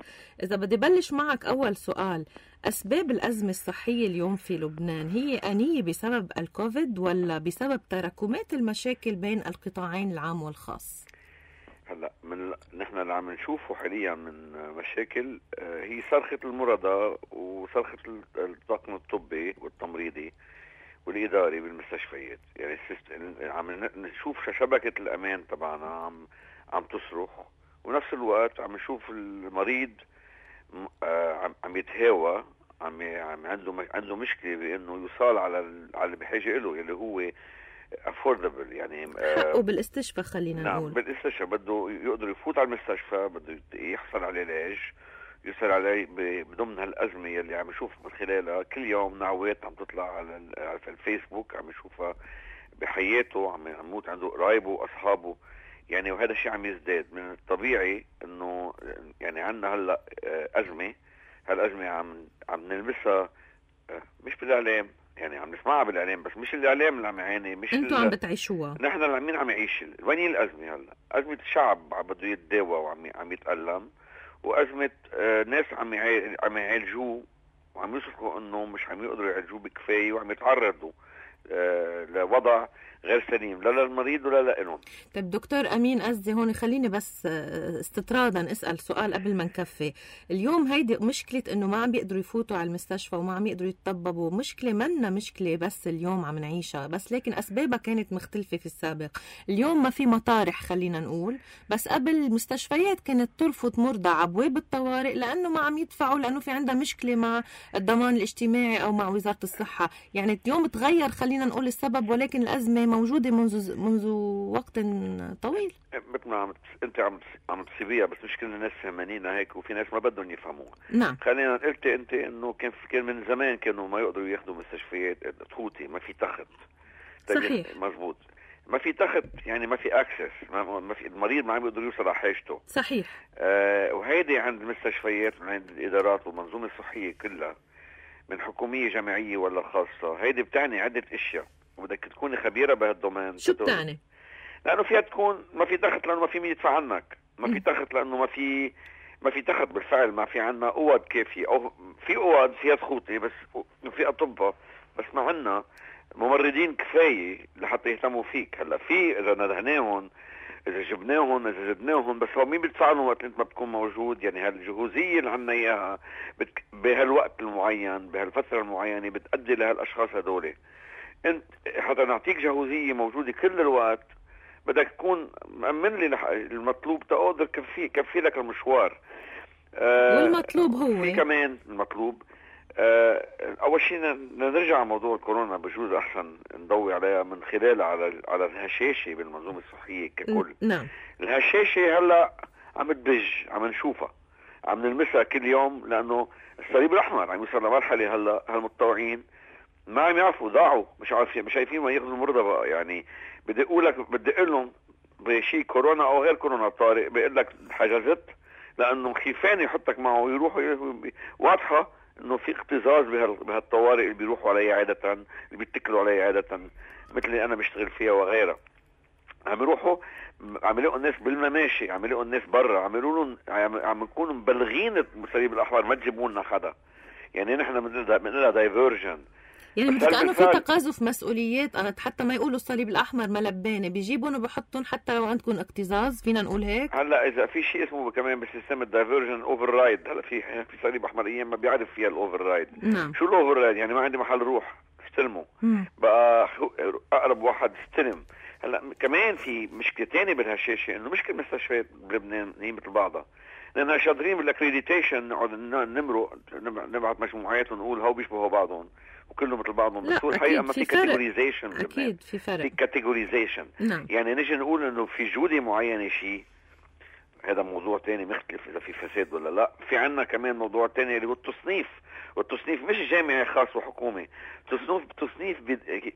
إذا بدي بلش معك أول سؤال، أسباب الأزمة الصحية اليوم في لبنان هي آنية بسبب الكوفيد ولا بسبب تراكمات المشاكل بين القطاعين العام والخاص؟ هلا نحن اللي عم نشوفه حاليا من مشاكل هي صرخة المرضى وصرخة الطاقم الطبي والتمريضي والإداري بالمستشفيات. يعني عم نشوف شبكة الأمان طبعا عم تصرخ، ونفس الوقت عم نشوف المريض عم يتهاوى، عنده مشكلة بأنه يوصل على اللي بحاجة له، اللي هو affordable، يعني حقه بالاستشفاء، خلينا نقول. نعم، بالاستشفاء بده يقدر يفوت على المستشفى، بده يحصل على علاج، يصل عليه بضمن هالأزمة اللي عم نشوف من خلالها كل يوم نعوات عم تطلع على الفيسبوك، عم نشوفها بحياته، عم يموت عنده قرايبه وأصحابه. يعني وهذا الشيء عم يزداد. من الطبيعي انه يعني عندنا هلا أزمة، هالأزمة عم نلبسها مش بالإعلام، يعني عم نسمعها بالإعلام بس مش الإعلام اللي عم يعاني، مش انتوا عم بتعيشوها. نحن اللي عم يعيش. وين هي الأزمة هلا؟ أزمة الشعب بده يتداوى وعم يتألم، وأزمة ناس عم يعالجوه وعم يصرخوا انه مش عم يقدروا يعالجوه بكفاية، وعم يتعرضوا لوضع غير سليم لا للمريض ولا لهم. طيب دكتور أمين أزي، هون خليني بس استطرادا أسأل سؤال قبل ما نكفي. اليوم هيدي مشكلة إنه ما عم بيقدروا يفوتوا على المستشفى وما عم يقدروا يتطببوا، مشكلة منا مشكلة بس اليوم عم نعيشها، بس لكن أسبابها كانت مختلفة في السابق. اليوم ما في مطارح خلينا نقول، بس قبل المستشفيات كانت ترفض مرضى على أبواب الطوارئ لأنه ما عم يدفعوا، لأنه في عندها مشكلة مع الضمان الاجتماعي أو مع وزارة الصحة. يعني اليوم تغير خلينا نقول السبب، ولكن الأزمة موجودة منذ وقت طويل. مثل ما انت عم تصيبيها، بس مش كل الناس فهمانينها هيك، وفي ناس ما بدهم يفهموها. نعم. خلينا قلت انت انه كان من زمان كانوا ما يقدروا ياخذوا مستشفيات تفوتي، ما في تخت. صحيح. مزبوط، ما في تخت، يعني ما في اكسس، ما في المريض ما عم يقدر يوصل على حاجته. صحيح. وهيدي عند المستشفيات وعند الادارات والمنظومه الصحيه كلها، من حكوميه جامعيه ولا خاصه، هيدي بتعني عده اشياء، وبدك تكوني خبيره بهالدومين. شو بتعني؟ لانه فيها تكون ما في تخت، لانه ما في مين يدفع عنك، ما في تخت لانه ما في تخت بالفعل، ما في عنا اوض كافيه، او في اوض فيها تخوتي بس في اطباء، بس ما عنا ممرضين كفايه لحتى يهتموا فيك. هلا في اذا ندهناهم، اذا جبناهم، اذا زدناهم، بس هو مين بيدفع لهم وقت انت ما بتكون موجود؟ يعني هالجهوزيه اللي عنا اياها بهالوقت المعين بهالفتره المعينه بتؤدي لهالاشخاص هذول. انت حتى نعطيك جهوزيه موجوده كل الوقت، بدك تكون مأمن لي المطلوب تقدر كفي لك المشوار. والمطلوب هو في كمان المطلوب اول شيء نرجع على موضوع الكورونا، بجوز احسن نضوي عليها من خلال على الهشاشه بالمنظومه الصحيه ككل. نعم. الهشاشه هلا عم تبج، عم نشوفها، عم نلمسها كل يوم، لانه الصليب الاحمر عم يوصل لمرحله هلا هالمتطوعين ما عم يعرفوا، ضاعوا، مش عارفين ما ياخذوا المرضى بقى. يعني بدي اقول لهم بشيء كورونا او غير كورونا طارئ، بيقول لك حجزت لانه خيفان يحطك معه ويروحوا. واضحه انه في اكتظاظ بهالطوارئ اللي بيروحوا علي عاده، اللي بيتكلوا علي عاده، مثل اللي انا بشتغل فيها وغيرها. عم يروحوا عم يلاقوا الناس بالمماشي، عم يلاقوا الناس برا، عم نكونوا مبلغين الصليب الاحمر ما تجيبوا لنا حدا. يعني نحن بنقولها دايفرجن، يعني كأنه في تقاذف مسؤوليات، حتى ما يقولوا الصليب الأحمر ملبانة بيجيبون وبحطون حتى لو عندكم اكتظاظ، فينا نقول هيك. هلا إذا في شيء اسمه كمان بالسيستم الدايفرجن اوفر رايد، هلا في صليب أحمر أيام ما بيعرف فيها الأوفر رايد. نعم. شو الأوفر رايد؟ يعني ما عندي محل روح، بيستلموا. بقى اقرب واحد استلم. هلا كمان في مشكله ثانيه بالهشاشه، انه مشكله المستشفيات بلبنان هي مثل بعضها، لانها شاطرين بالاكريديتيشن، نقعد نبعث مجموعات ونقول هو بيشبهوا بعضهم وكلهم مثل بعضهم، بس هو الحقيقه ما في كاتيجوريزيشن. اكيد في فرق، في كاتيجوريزيشن. يعني نجي نقول انه في جوده معينه شيء، هذا موضوع تاني مختلف اذا في فساد ولا لا. في عنا كمان موضوع تاني اللي هو التصنيف، والتصنيف مش جامعي خاص وحكومي، تصنيف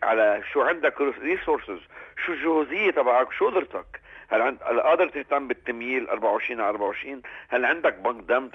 على شو عندك ريسورسز، شو الجهوزيه تبعك، شو قدرتك، هل قادر تهتم بالتمييل 24 على 24، هل عندك بنك دم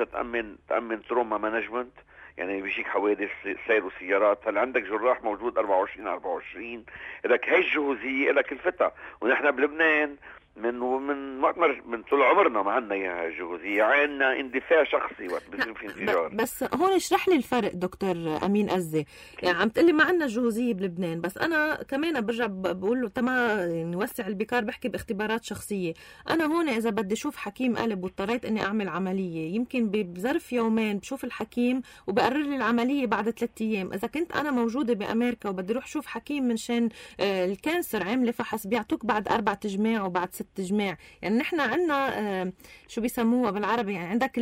تأمن تروما مانجمنت، يعني بيجيك حوادث سير وسيارات، هل عندك جراح موجود 24 على 24، لك هي الجهوزيه لك الفتى. ونحن بلبنان من طول عمرنا ما عندنا اياها الجهوزيه، عندنا اندفاع شخصي وقت بيصير في انفجار. بس هون اشرح لي الفرق دكتور امين أزة. يعني عم تقلي ما عندنا جهوزيه بلبنان، بس انا كمان برجع بقول له تمام نوسع البكار، بحكي باختبارات شخصيه. انا هون اذا بدي اشوف حكيم قلب واضطريت اني اعمل عمليه، يمكن بظرف يومين بشوف الحكيم وبقرر لي العمليه بعد 3 ايام. اذا كنت انا موجوده بامريكا وبدي اروح شوف حكيم من شان الكانسر عامله فحص، بيعطوك بعد 4 تجماع وبعد 6 تجماع. يعني نحن عندنا شو بيسموها بالعربي، يعني عندك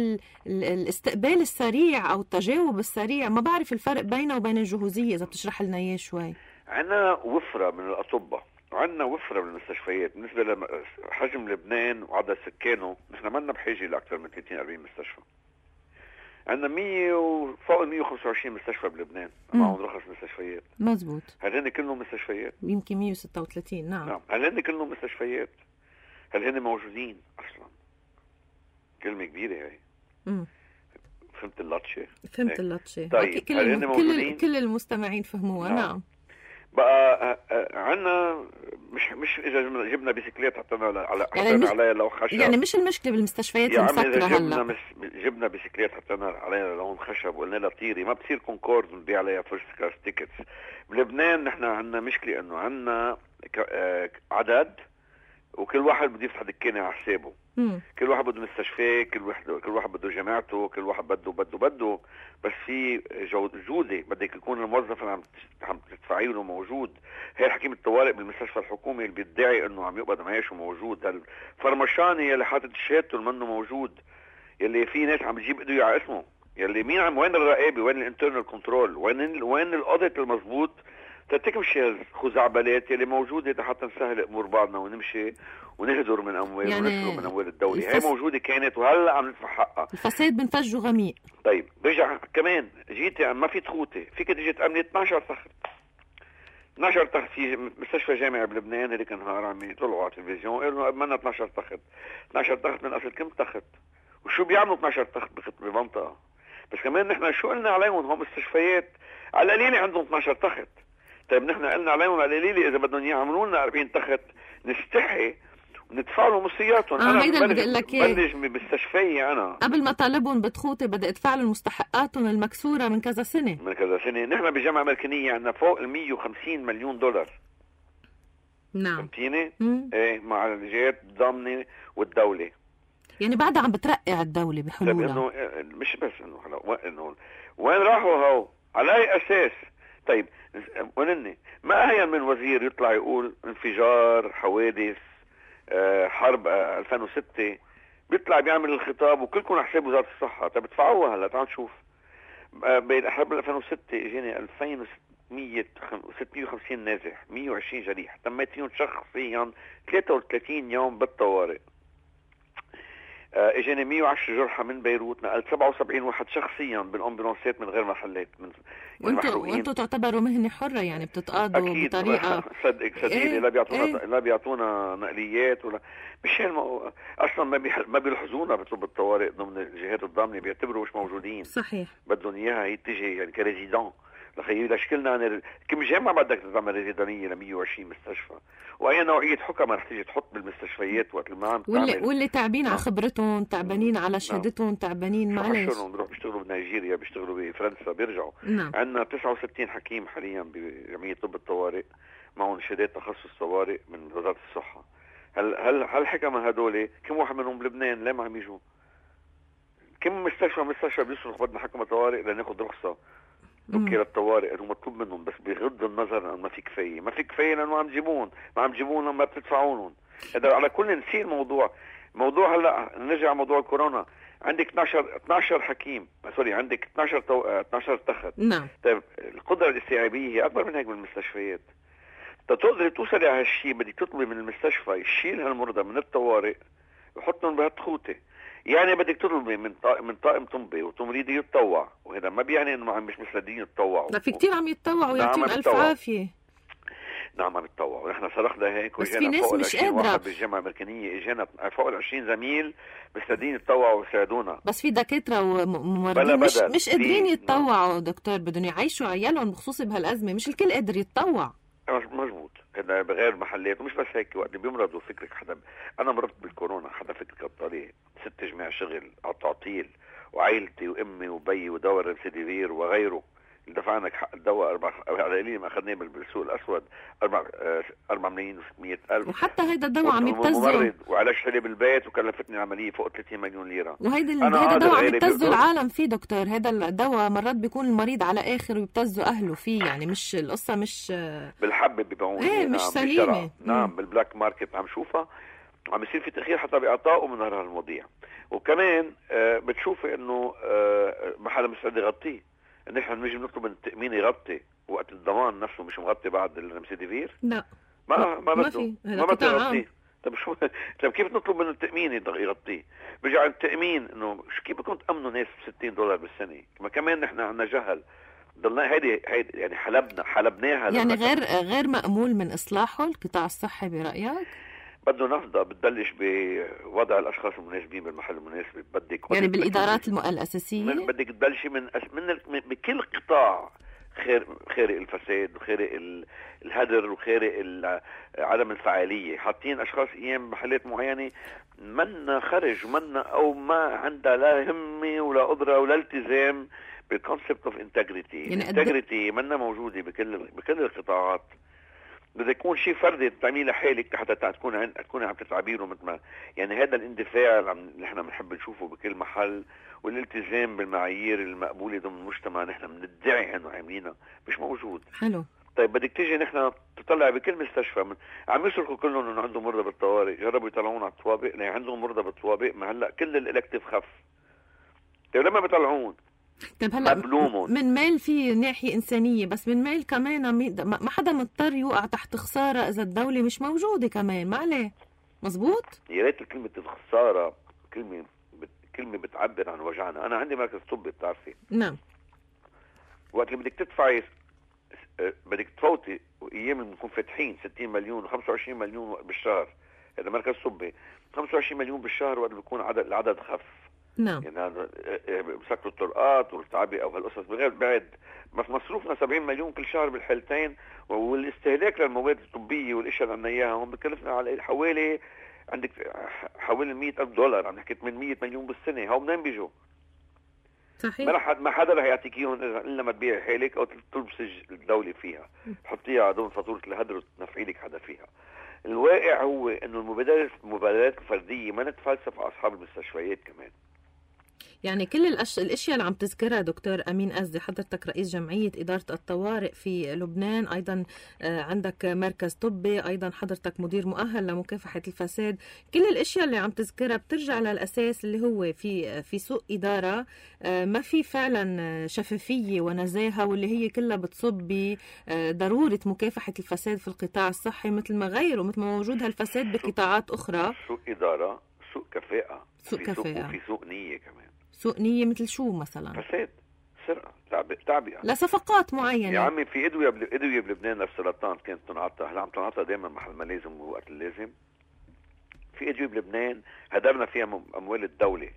الاستقبال السريع او التجاوب السريع. ما بعرف الفرق بينه وبين الجهوزيه، اذا بتشرح لنا اياه شوي. عندنا وفره من الاطباء وعندنا وفره من المستشفيات. بالنسبه لحجم لبنان وعدد سكانه، نحن ما لنا بحاجه لاكثر من 30-40 مستشفى. عندنا 100 وفوق 125 مستشفى بلبنان معهم رخص مستشفيات. مزبوط. هل هن كلهم مستشفيات؟ يمكن 136. نعم. هل هن كلهم مستشفيات؟ هل هن موجودين اصلا؟ كلمه كبيره هي. فهمت اللطشه؟ فهمت اللطشه. طيب كل المستمعين فهموها. نعم. بقى عنا مش اذا جبنا بيسكليت حطينا عليها لو خشب. يعني مش المشكله بالمستشفيات المسكره هلا. جبنا بيسكليت حطينا عليها لون خشب وقلنا لها طيري، ما بصير كونكورد نبيع عليها فيرست كلاس تيكتس. بلبنان نحن عنا مشكله انه عنا عدد، وكل واحد بده يفتح دكانه على حسابه. كل واحد بده مستشفى، كل واحد بده جامعته، كل واحد بده بس في جوده. بدك يكون الموظف اللي عم تدفعي له موجود. هي حكيم الطوارئ بالمستشفى الحكومي اللي بيدعي انه عم يقبض معاشه موجود، الفرمشاني اللي حاطط شهادته منه موجود، يلي في ناس عم تجيب ايده على اسمه، يلي وين الرقابه، وين الانترنال كنترول، وين الاوديت المضبوط تتمشي الخزعبلات يلي موجوده حتى نسهل امور بعضنا ونمشي ونهدر من اموال يعني ونسرق من اموال الدوله. هي موجوده كانت وهلا عم ندفع حقها. الفساد بنفجه غميق. طيب برجع كمان جيتي ما في تخوتي، فيك تيجي تأمني 12 تخت. 12 تخت في مستشفى جامعي بلبنان هذيك النهار عم يطلعوا على التلفزيون قالوا بدنا 12 تخت. 12 تخت من اصل كم تخت؟ وشو بيعملوا 12 تخت بمنطقه؟ بس كمان نحن شو قلنا عليهم؟ هم مستشفيات على القليله عندهم 12 تخت. طيب نحن قلنا عليهم على القليله اذا بدهم يعملوا لنا 40 تخت نستحي ندفع لهم مصرياتهم. انا بلش بمستشفي. انا قبل ما طالبهم بتخوتي بدي ادفع لهم مستحقاتهم المكسوره من كذا سنه. نحن بجامعه امريكانيه عندنا فوق ال 150 مليون دولار. نعم. فهمتيني؟ ايه مع الجهات الضامنه والدوله. يعني بعدها عم بترقع الدوله بحلولها. انه مش بس انه وين راحوا هو؟ على اي اساس؟ طيب ونني ما أهين من وزير يطلع يقول انفجار، حوادث، حرب 2006، بيطلع بيعمل الخطاب وكلكم على حساب وزارة الصحة. طيب ادفعوها هلا. تعال نشوف بين حرب 2006 اجاني 2650 نازح، 120 جريح، تميت فيهم شخصيا 33 يوم بالطوارئ. اجاني 110 جرحى من بيروت، نقلت 77 واحد شخصيا بالامبولانسات من غير محلات. وانتوا تعتبروا مهنه حره، يعني بتتقاضوا بطريقه صدقيني. لا بيعطونا نقليات ولا مش اصلا ما بيلحظونا بيطلبوا الطوارئ ضمن الجهات الضامنه، بيعتبروا مش موجودين. صحيح. بدهم اياها هي تيجي يعني كريزيدون لخيي لشكلنا. كم جامعه بدك تعمل ريزيدانيه ل 120 مستشفى؟ واي نوعيه حكمه رح تيجي تحط بالمستشفيات وقت ما عم واللي تعبانين على خبرتهم، تعبانين على شهادتهم، تعبانين معلش. بيروحوا بيشتغلوا بنيجيريا، بيشتغلوا بفرنسا، بيرجعوا. عندنا 69 حكيم حاليا بجمعيه طب الطوارئ معهم شهادات تخصص طوارئ من وزاره الصحه. هل الحكمه هدول كم واحد منهم بلبنان؟ ليه ما عم يجوا؟ كم مستشفى بيصرخ بدنا حكمه طوارئ لناخذ رخصه اوكي للطوارئ انه مطلوب منهم، بس بغض النظر انه ما في كفايه لانه ما عم تجيبون لما بتدفعونهم. هذا على كل نسير موضوع هلا نرجع موضوع الكورونا. عندك 12 حكيم، سوري، عندك 12 تخت. نعم. طيب القدره الاستيعابيه هي اكبر من هيك بالمستشفيات. تقدري توصلي على هالشيء بدك تطلبي من المستشفى يشيل هالمرضى من الطوارئ ويحطهم بهالتخوته. يعني بدك تطلبي من طاقم طبي وتمريضي يتطوع، وهذا ما بيعني انه مش مسلدين يتطوعوا. لا، في كتير عم يتطوعوا ويعطيهم الف عافيه. نعم عم يتطوعوا، ونحن صرخنا هيك وجينا فوق ال 20 واحد بالجامعه الامريكانيه، اجينا فوق ال 20 زميل مسلدين يتطوعوا ويساعدونا. بس في دكاتره وممرضين مش قادرين يتطوعوا دكتور، بدهم يعيشوا عيالهم بخصوصي بهالازمه، مش الكل قادر يتطوع. مزبوط، هذا بغير محلات. ومش بس هيك، وقت بيمرضوا فكرك انا مرضت بالكورونا، حدا فكرك الطريق 6 جماع شغل على تعطيل، وعائلتي وامي وبي ودواء ريمسيديفير وغيره اللي دفعنا حق الدواء على قليل ما اخذناه بالسوق الاسود 4 ملايين و100,000، وحتى هيدا الدواء عم يبتزوا، وعلاج حالي بالبيت وكلفتني عمليه فوق 30 مليون ليره. وهيدا الدواء عم يبتزوا العالم فيه دكتور. هذا الدواء مرات بيكون المريض على اخر ويبتزوا اهله فيه، يعني مش القصه مش بالحب بيبيعون. ايه مش سليمه. نعم بالبلاك ماركت عم شوفها، عم يصير في تاخير حتى باعطائه من هالمواضيع. وكمان بتشوفي انه ما حدا مستعد يغطيه. نحن بنجي نطلب من التأمين يغطي وقت الضمان نفسه مش مغطي بعد الريمسيديفير. لا ما بده ما بده. طب شو كيف نطلب من التأمين يغطيه؟ برجع التأمين انه كيف بدكم تأمنوا ناس $60 بالسنة؟ ما كمان نحن عندنا جهل. ضلنا هيدي يعني حلبناها يعني غير مأمول من إصلاحه القطاع الصحي برأيك؟ بده نفضة بتبلش بوضع الاشخاص المناسبين بالمحل المناسب. بدك يعني بالادارات الاساسيه بدك تبلشي من بكل قطاع خارق الفساد وخارق الهدر وخارق عدم الفعاليه. حاطين اشخاص ايام محلات معينه منا خرج منا او ما عندها لا همه ولا قدره ولا التزام بالكونسبت اوف انتجريتي. الانتجريتي منا موجوده بكل القطاعات. بدك يكون شيء فردي تعمليه لحالك حتى تكون عم تتعبيره مثل ما يعني هذا الاندفاع اللي نحن بنحب نشوفه بكل محل، والالتزام بالمعايير المقبوله ضمن المجتمع نحن بندعي انه عاملينها مش موجود. حلو. طيب بدك تيجي نحن تطلع بكل مستشفى عم يصرخوا كلهم انه عندهم مرضى بالطوارئ، جربوا يطلعون على الطوابق اللي عندهم مرضى بالطوابق. ما هلا كل الالكتيف خف. طيب لما بيطلعون طيب هلا من ميل في ناحية إنسانية، بس من ميل كمان ما حدا مضطر يوقع تحت خسارة إذا الدولة مش موجودة كمان. ما عليه. مزبوط. يا ريت كلمة الخسارة كلمة بتعبر عن وجعنا. أنا عندي مركز طبي بتعرفي. نعم. وقت اللي بدك تدفعي بدك تفوتي أيام اللي بنكون فاتحين 60 مليون و25 مليون بالشهر، هذا مركز طبي 25 مليون بالشهر وقت بيكون العدد خف. نعم. يعني هذا بسكروا الطرقات والتعبئة وهالقصص بغير بعد مصروفنا 70 مليون كل شهر بالحالتين، والاستهلاك للمواد الطبية والاشياء اللي عنا اياها هم بكلفنا على حوالي حوالي $100,000. عم نحكي 800 مليون بالسنة. هاو منين بيجوا؟ صحيح. ما حدا رح يعطيك اياهم الا ما تبيع حالك او تلبسي الدولة فيها، تحطيها على ضمن فاتورة الهدر وتنفعي لك حدا فيها. الواقع هو انه المبادرات الفردية ما نتفلسف على اصحاب المستشفيات كمان. يعني كل الاشياء اللي عم تذكرها دكتور امين أزدي، حضرتك رئيس جمعيه اداره الطوارئ في لبنان، ايضا عندك مركز طبي، ايضا حضرتك مدير مؤهل لمكافحه الفساد. كل الاشياء اللي عم تذكرها بترجع للاساس اللي هو في سوء اداره، ما في فعلا شفافيه ونزاهه، واللي هي كلها بتصب بضروره مكافحه الفساد في القطاع الصحي مثل ما غيره، مثل ما موجود هالفساد بقطاعات اخرى. سوء اداره، سوء كفاءه، وفي سوء نيه كمان. سوء نية مثل شو مثلا؟ فساد، سرقة، تعبئة لصفقات معينة. يا عمي في أدوية بلبنان للسرطان كانت تنعطى، هلا عم تنعطى دائما محل ما لازم ووقت اللازم. في أدوية بلبنان هدرنا فيها أموال الدولة.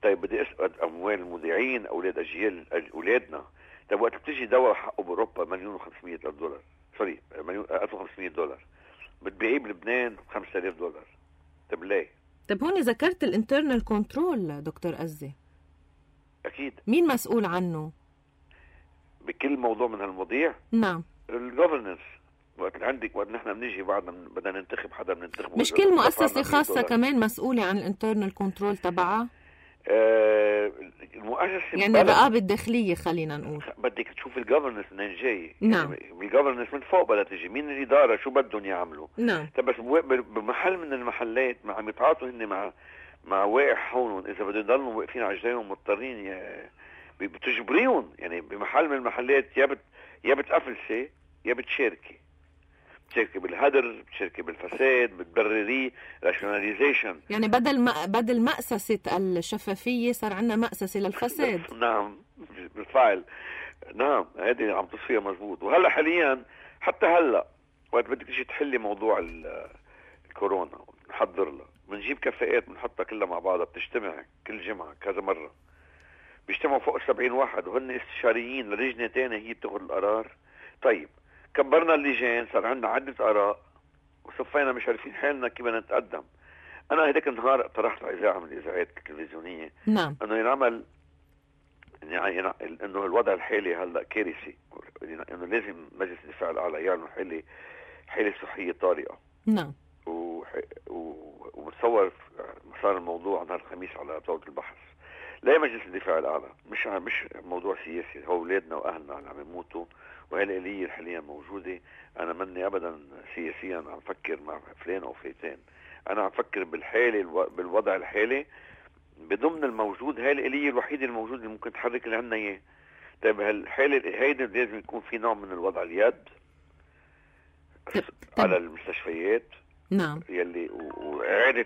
طيب بدي أسأل أموال المذيعين أولاد أجيال أولادنا. طيب وقت بتجي دواء حقه بأوروبا $1,500,000 سوري $1,500 بتبيعيه بلبنان $5,000. طيب ليه؟ طيب هون ذكرت الانترنال كنترول دكتور أزدي، أكيد مين مسؤول عنه بكل موضوع من هالمواضيع؟ نعم الجوفرنس. وقت نحن بنيجي بعد بدنا ننتخب حدا بننتخبه. مش كل مؤسسة خاصة كمان مسؤولة عن الانترنال كنترول تبعها؟ المؤسسة يعني الرقابة الداخلية خلينا نقول. بدك تشوف الجوفرنس منين جاي. نعم. يعني الجوفرنس من فوق بدها تجي، مين الإدارة شو بدهم يعملوا. نعم. بس بمحل من المحلات ما عم يتعاطوا هن مع واقع حولهم، إذا بدهم يضلوا واقفين على رجليهم مضطرين بتجبريهم. يعني بمحل من المحلات يا بتقفلسي يا بتشاركي بالهدر، بتشاركي بالفساد، بتبرريه راشوناليزيشن. يعني بدل مأسسة الشفافية صار عندنا مأسسة للفساد. نعم بالفعل. نعم هذه عم تصفيها مزبوط. وهلا حاليا حتى هلا وقت بدك تيجي تحلي موضوع الكورونا نحضر لها، بنجيب كفاءات بنحطها كلها مع بعضها، بتجتمع كل جمعة كذا مرة، بيجتمعوا فوق 70 واحد وهن استشاريين للجنة تانية هي بتاخذ القرار. طيب كبرنا اللجان، صار عندنا عدة آراء وصفينا مش عارفين حالنا كيف بدنا نتقدم. أنا هداك النهار اقترحت على إذاعة من الإذاعات التلفزيونية نعم. إنه ينعمل إنه الوضع الحالي هلا كارثي، إنه لازم مجلس الدفاع الأعلى يعلن حالة صحية طارئة. نعم. ومتصور مسار الموضوع نهار الخميس على طاولة البحث. لا مجلس الدفاع الأعلى مش موضوع سياسي، هو أولادنا وأهلنا اللي عم يموتوا وهي الآلية حاليا موجودة. أنا مني أبدا سياسيا عم فكر مع فلان أو فلان، أنا عم فكر بالحالة بالوضع الحالي بضمن الموجود. هاي الآلية الوحيدة الموجودة اللي ممكن تحرك اللي عنا إياه. طيب هالحالة هيدا لازم يكون في نوع من الوضع اليد على المستشفيات. نعم. يلي وإعادة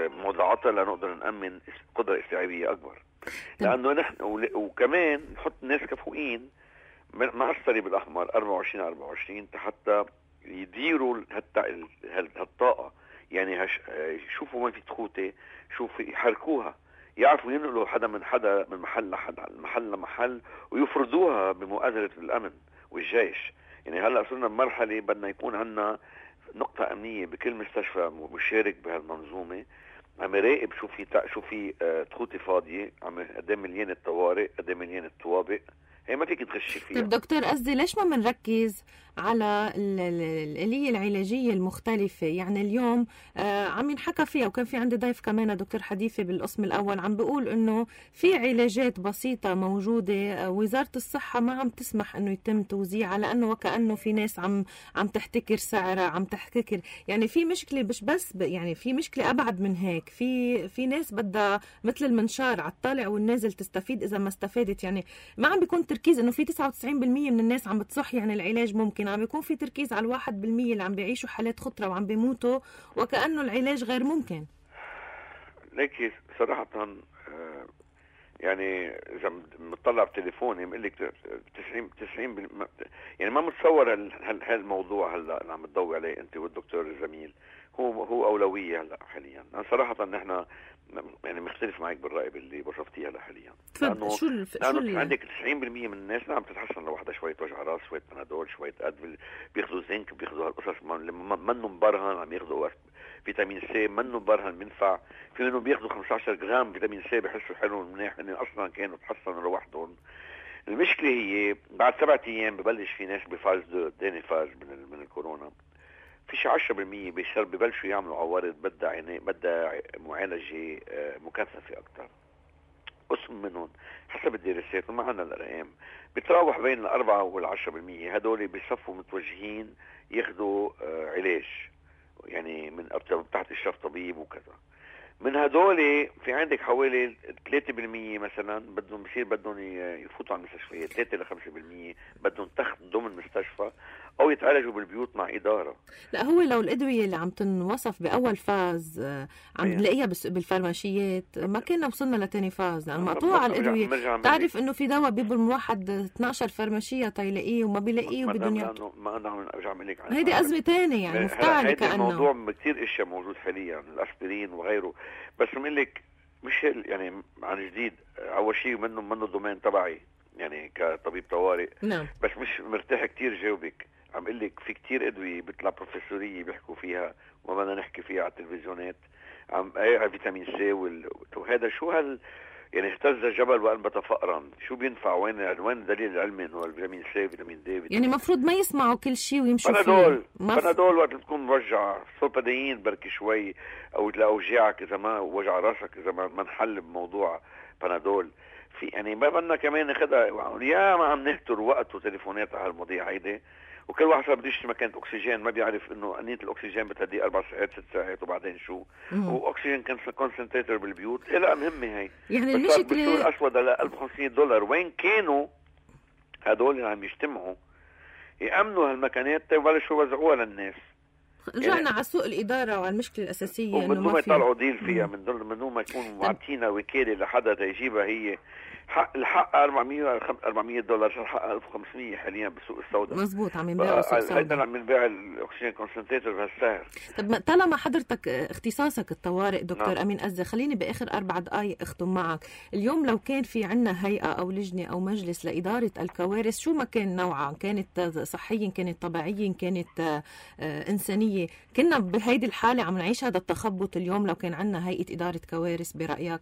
موضوعاتها لنقدر نأمن قدرة استيعابية أكبر. لأنه نحن وكمان نحط الناس كفؤين مع الصليب الأحمر 24/24 حتى يديروا هالطاقة. يعني يشوفوا وين في تخوتة، شوفوا يحركوها، يعرفوا ينقلوا حدا من محل لمحل ويفرضوها بمؤازرة الأمن والجيش. يعني هلأ صرنا بمرحلة بدنا يكون عنا نقطة أمنية بكل مستشفى مشارك بهالمنظومة، عم يراقب شو في تخوتة فاضية، قد ايه مليان الطوارئ، قد ايه مليان الطوابق. هي ما فيك تغشي فيها. طيب دكتور قصدي ليش ما بنركز على الآلية العلاجية المختلفة؟ يعني اليوم عم ينحكى فيها، وكان في عندي ضيف كمان دكتور حديثي بالقسم الأول عم بيقول إنه في علاجات بسيطة موجودة وزارة الصحة ما عم تسمح إنه يتم توزيعها، لأنه وكأنه في ناس عم تحتكر سعرها، عم تحتكر. يعني في مشكلة مش بس يعني في مشكلة أبعد من هيك. في ناس بدها مثل المنشار على الطالع والنازل تستفيد إذا ما استفادت. يعني ما عم بيكون تركيز إنه في 99% من الناس عم بتصح يعني العلاج ممكن، عم بيكون في تركيز على 1% اللي عم بيعيشوا حالات خطرة وعم بيموتوا وكأنه العلاج غير ممكن. لكن صراحة يعني إذا مطلع بتليفوني بقول لك 90 يعني ما متصور هالموضوع هلا اللي عم تضوي عليه أنت والدكتور الزميل هو أولوية هلا حاليا. أنا صراحة نحن يعني مختلف معك بالرأي اللي وصفتيه هلا حاليا. لأنه شو عندك 90% من الناس نعم تتحسن لوحدها، شوية وجع راس، شوية بنادول، شوية أدفل، بياخذوا زنك، بياخذوا هالقصص منه مبرهن، عم ياخذوا فيتامين سي منه مبرهن بينفع. في منهم بياخذوا 15 جرام فيتامين سي بيحسوا حلو منيح، إن أصلا كانوا تحسنوا لوحدهم. المشكلة هي بعد 7 أيام ببلش في ناس بفاز تاني فاز من الكورونا. في شي 10% ببلشوا يعملوا عوارض بدها معالجة مكثفة أكتر. قسم منهم حسب الدراسات وما عنا الأرقام بتراوح بين 4 وال10%. هدول بيصفوا متوجهين ياخدوا علاج، يعني من تحت إشراف طبيب وكذا. من هدول في عندك حوالي 3% مثلا بدهم يفوتوا على المستشفيات. 3-5% بدهم ضمن مستشفى او يتعالجوا بالبيوت مع اداره. لا هو لو الادويه اللي عم تنوصف باول فاز عم نلاقيها بالفارماشيات ما كنا وصلنا لتاني فاز، لانه مقطوعه الادويه. تعرف انه في دواء بيبل من واحد 12 فارماشيه تيلاقيه وما بيلاقيه وبدهم يعطوا. ما انا ارجع اقول لك هيدي ازمه ثانيه يعني مفتعله كانه. الموضوع كثير اشياء موجود حاليا، الاسبرين وغيره. بس بقول لك مش يعني عن جديد اول شيء منه الضمان تبعي يعني كطبيب طوارئ. نعم. بس مش مرتاح كتير جاوبك. عم قل لك في كتير ادويه بيطلع بروفيسوريه بيحكوا فيها وما بدنا نحكي فيها على التلفزيونات. فيتامين سي وهذا شو يعني اهتز الجبل وأنبت فأرا. شو بينفع؟ وين الدليل العلمي انه الفيتامين سي فيتامين دي يعني المفروض ما يسمعوا كل شيء ويمشوا فيه. بنادول وقت تكون مرجع سولبادين بركي شوي، او لاوجاعك اذا ما وجع راسك اذا ما نحل بموضوع بنادول. في يعني ما بدنا كمان ناخذها يا ما عم نهتر وقت وتليفونات على المواضيع هيدي، وكل واحد صار بده يشتري مكانة اكسجين ما بيعرف انه انية الاكسجين بتهدي 4 ساعات 6 ساعات وبعدين شو واكسجين كونسنتريتر بالبيوت. لا مهمة هي يعني المشكلة الاسود على $1500. وين كانوا هدول اللي عم يجتمعوا يأمنوا هالمكانات تبلشوا يوزعوها للناس؟ رجعنا يعني على سوء الإدارة وعلى المشكلة الأساسية ومن دون ما يطلعوا ديل فيها، من دون ما يكونوا معطينا وكالة لحدا تيجيبها. هي الحق $400 صار حق 1500 حاليا بالسوق السوداء. مزبوط، عم ينباعوا بالسوق السوداء. هيدا عم ينباع الاكسجين كونسنتريتور بهالسعر. طب طالما حضرتك اختصاصك الطوارئ دكتور نعم. أمين أزة، خليني بآخر 4 دقائق أختم معك. اليوم لو كان في عنا هيئة أو لجنة أو مجلس لإدارة الكوارث، شو ما كان نوعها، كانت صحية كانت طبيعية كانت إنسانية، كنا بهيدي الحالة عم نعيش هذا التخبط اليوم لو كان عنا هيئة إدارة كوارث برأيك؟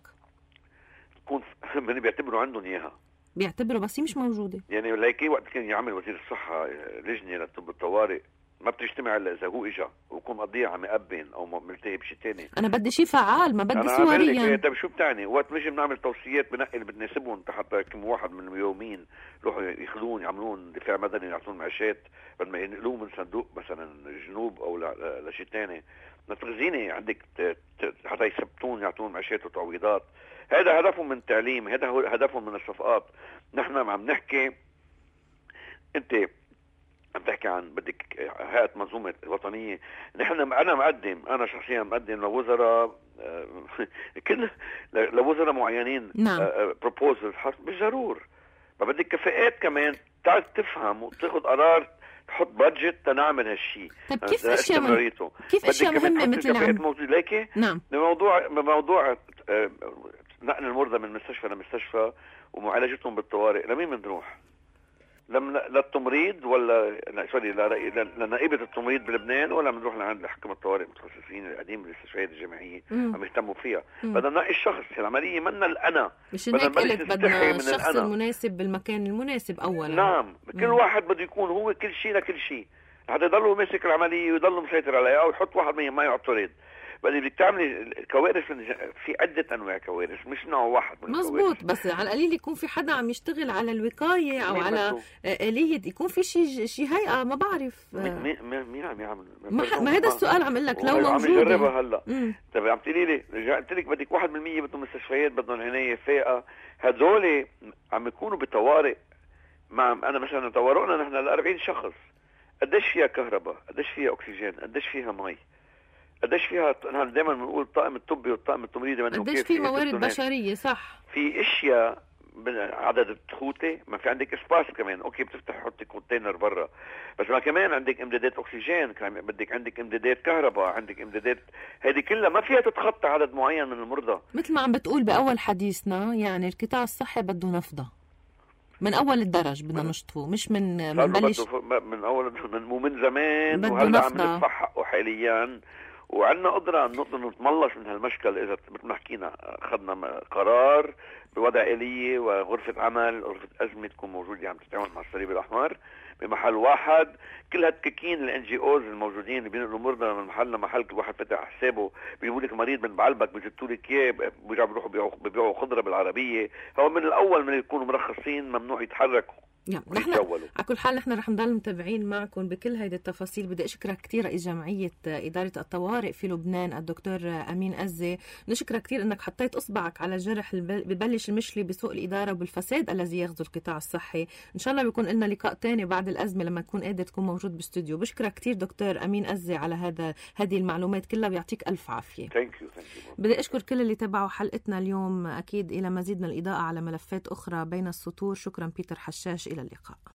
من بيعتبروا عندهم اياها، بيعتبروا بس هي مش موجوده. يعني ليكي وقت كان يعمل وزير الصحه لجنه لطب الطوارئ ما بتجتمع الا اذا هو اجا ويكون قضيه عم يقبن او ملتهي بشيء ثاني. انا بدي شيء فعال، ما بدي صوريا. يعني طيب شو بتعني؟ وقت مش بنعمل توصيات بنقي اللي بتناسبهم حتى كم واحد من اليومين يروحوا ياخذون يعملون دفاع مدني يعطون معاشات بدل ما ينقلوه من صندوق مثلا جنوب او لشيء ثاني. نتغزيني عندك حتى يثبتون يعطون معاشات وتعويضات. هذا هدفهم من التعليم، هذا هو هدفهم من الصفقات. نحن عم نحكي، انت عم تحكي عن بدك هيئة منظومة وطنية. أنا شخصيا مقدم لوزراء كل لوزراء معينين بروبوزل بالضرور. ما بدك كفاءات كمان تعرف تفهم وتاخذ قرار تحط بادجت تنعمل هالشيء. طيب كيف اشياء مهمة مثل ليكي؟ نعم. بموضوع نقل المرضى من مستشفى لمستشفى ومعالجتهم بالطوارئ، لمين بنروح؟ للتمريض ولا سوري لنائبة التمريض بلبنان، ولا بنروح لعند حكم الطوارئ المتخصصين القديم بالمستشفيات الجامعية عم يهتموا فيها. بدنا ننقي الشخص. العملية منا الأنا، مش هيك قلت بدنا الشخص المناسب بالمكان المناسب أولا. نعم. كل واحد بده يكون هو كل شيء لكل شيء حتى يضلوا ماسك العملية ويضلوا مسيطر عليها، أو يحط واحد ما يعترض. بدي بدك تعملي كوارث في عدة أنواع كوارث، مش نوع واحد من الكوارث. مزبوط، بس على القليل يكون في حدا عم يشتغل على الوقاية أو على آلية، يكون في شيء هيئة ما بعرف مين عم يعمل. ما هذا السؤال عم اقول لك لو موجود. عم يجربها هلا. طيب عم تقولي لي قلت لك بدك 1% بدهم مستشفيات بدهم عناية فائقة. هذول عم يكونوا بطوارئ. أنا مثلا طوارئنا نحن ل 40 شخص، قديش فيها كهرباء، قديش فيها أكسجين، قديش فيها مي، قديش فيها. نحن دائما بنقول الطاقم الطبي والطاقم التمريضي قديش في موارد بشريه. صح، في اشياء عدد التخوته ما في عندك اسباس كمان. اوكي بتفتح حطي كونتينر برا، بس ما كمان عندك امدادات اكسجين، بدك عندك امدادات كهرباء، عندك امدادات. هذه كلها ما فيها تتخطى عدد معين من المرضى. مثل ما عم بتقول باول حديثنا، يعني القطاع الصحي بده نفضه من اول الدرج، بدنا نشطفه، مش من بلش من اول من زمان. وهلا عم ندفع حقه حاليا، وعندنا قدرة نقدر نتملص من هالمشكل إذا مثل ما حكينا أخذنا قرار بوضع آلية وغرفة عمل، غرفة أزمة تكون موجودة عم تتعامل مع الصليب الأحمر بمحل واحد. كل هالتكاكين الNGOs الموجودين اللي بينقلوا مرضى من محل لمحل، كل واحد فتح حسابه بيجيبوا لك مريض من بعلبك بيجتوا لك اياه، بيرجعوا بيروحوا بيبيعوا خضره بالعربيه. هو من الاول من يكونوا مرخصين ممنوع يتحركوا. نحن على كل حال نحن رح نضل متابعين معكم بكل هيدي التفاصيل. بدي اشكرك كثير رئيس جمعيه اداره الطوارئ في لبنان الدكتور امين أزة. نشكرك كثير انك حطيت اصبعك على الجرح ببلش المشلي بسوء الاداره وبالفساد الذي يغزو القطاع الصحي. ان شاء الله بيكون لنا لقاء ثاني بعد الازمه لما تكون قادر تكون موجود بالاستوديو. بشكرك كثير دكتور امين أزة على هذه المعلومات كلها، ويعطيك الف عافيه. بدي اشكر كل اللي تابعوا حلقتنا اليوم. اكيد الى مزيد من الاضاءه على ملفات اخرى بين السطور. شكرا بيتر حشاش، الى اللقاء.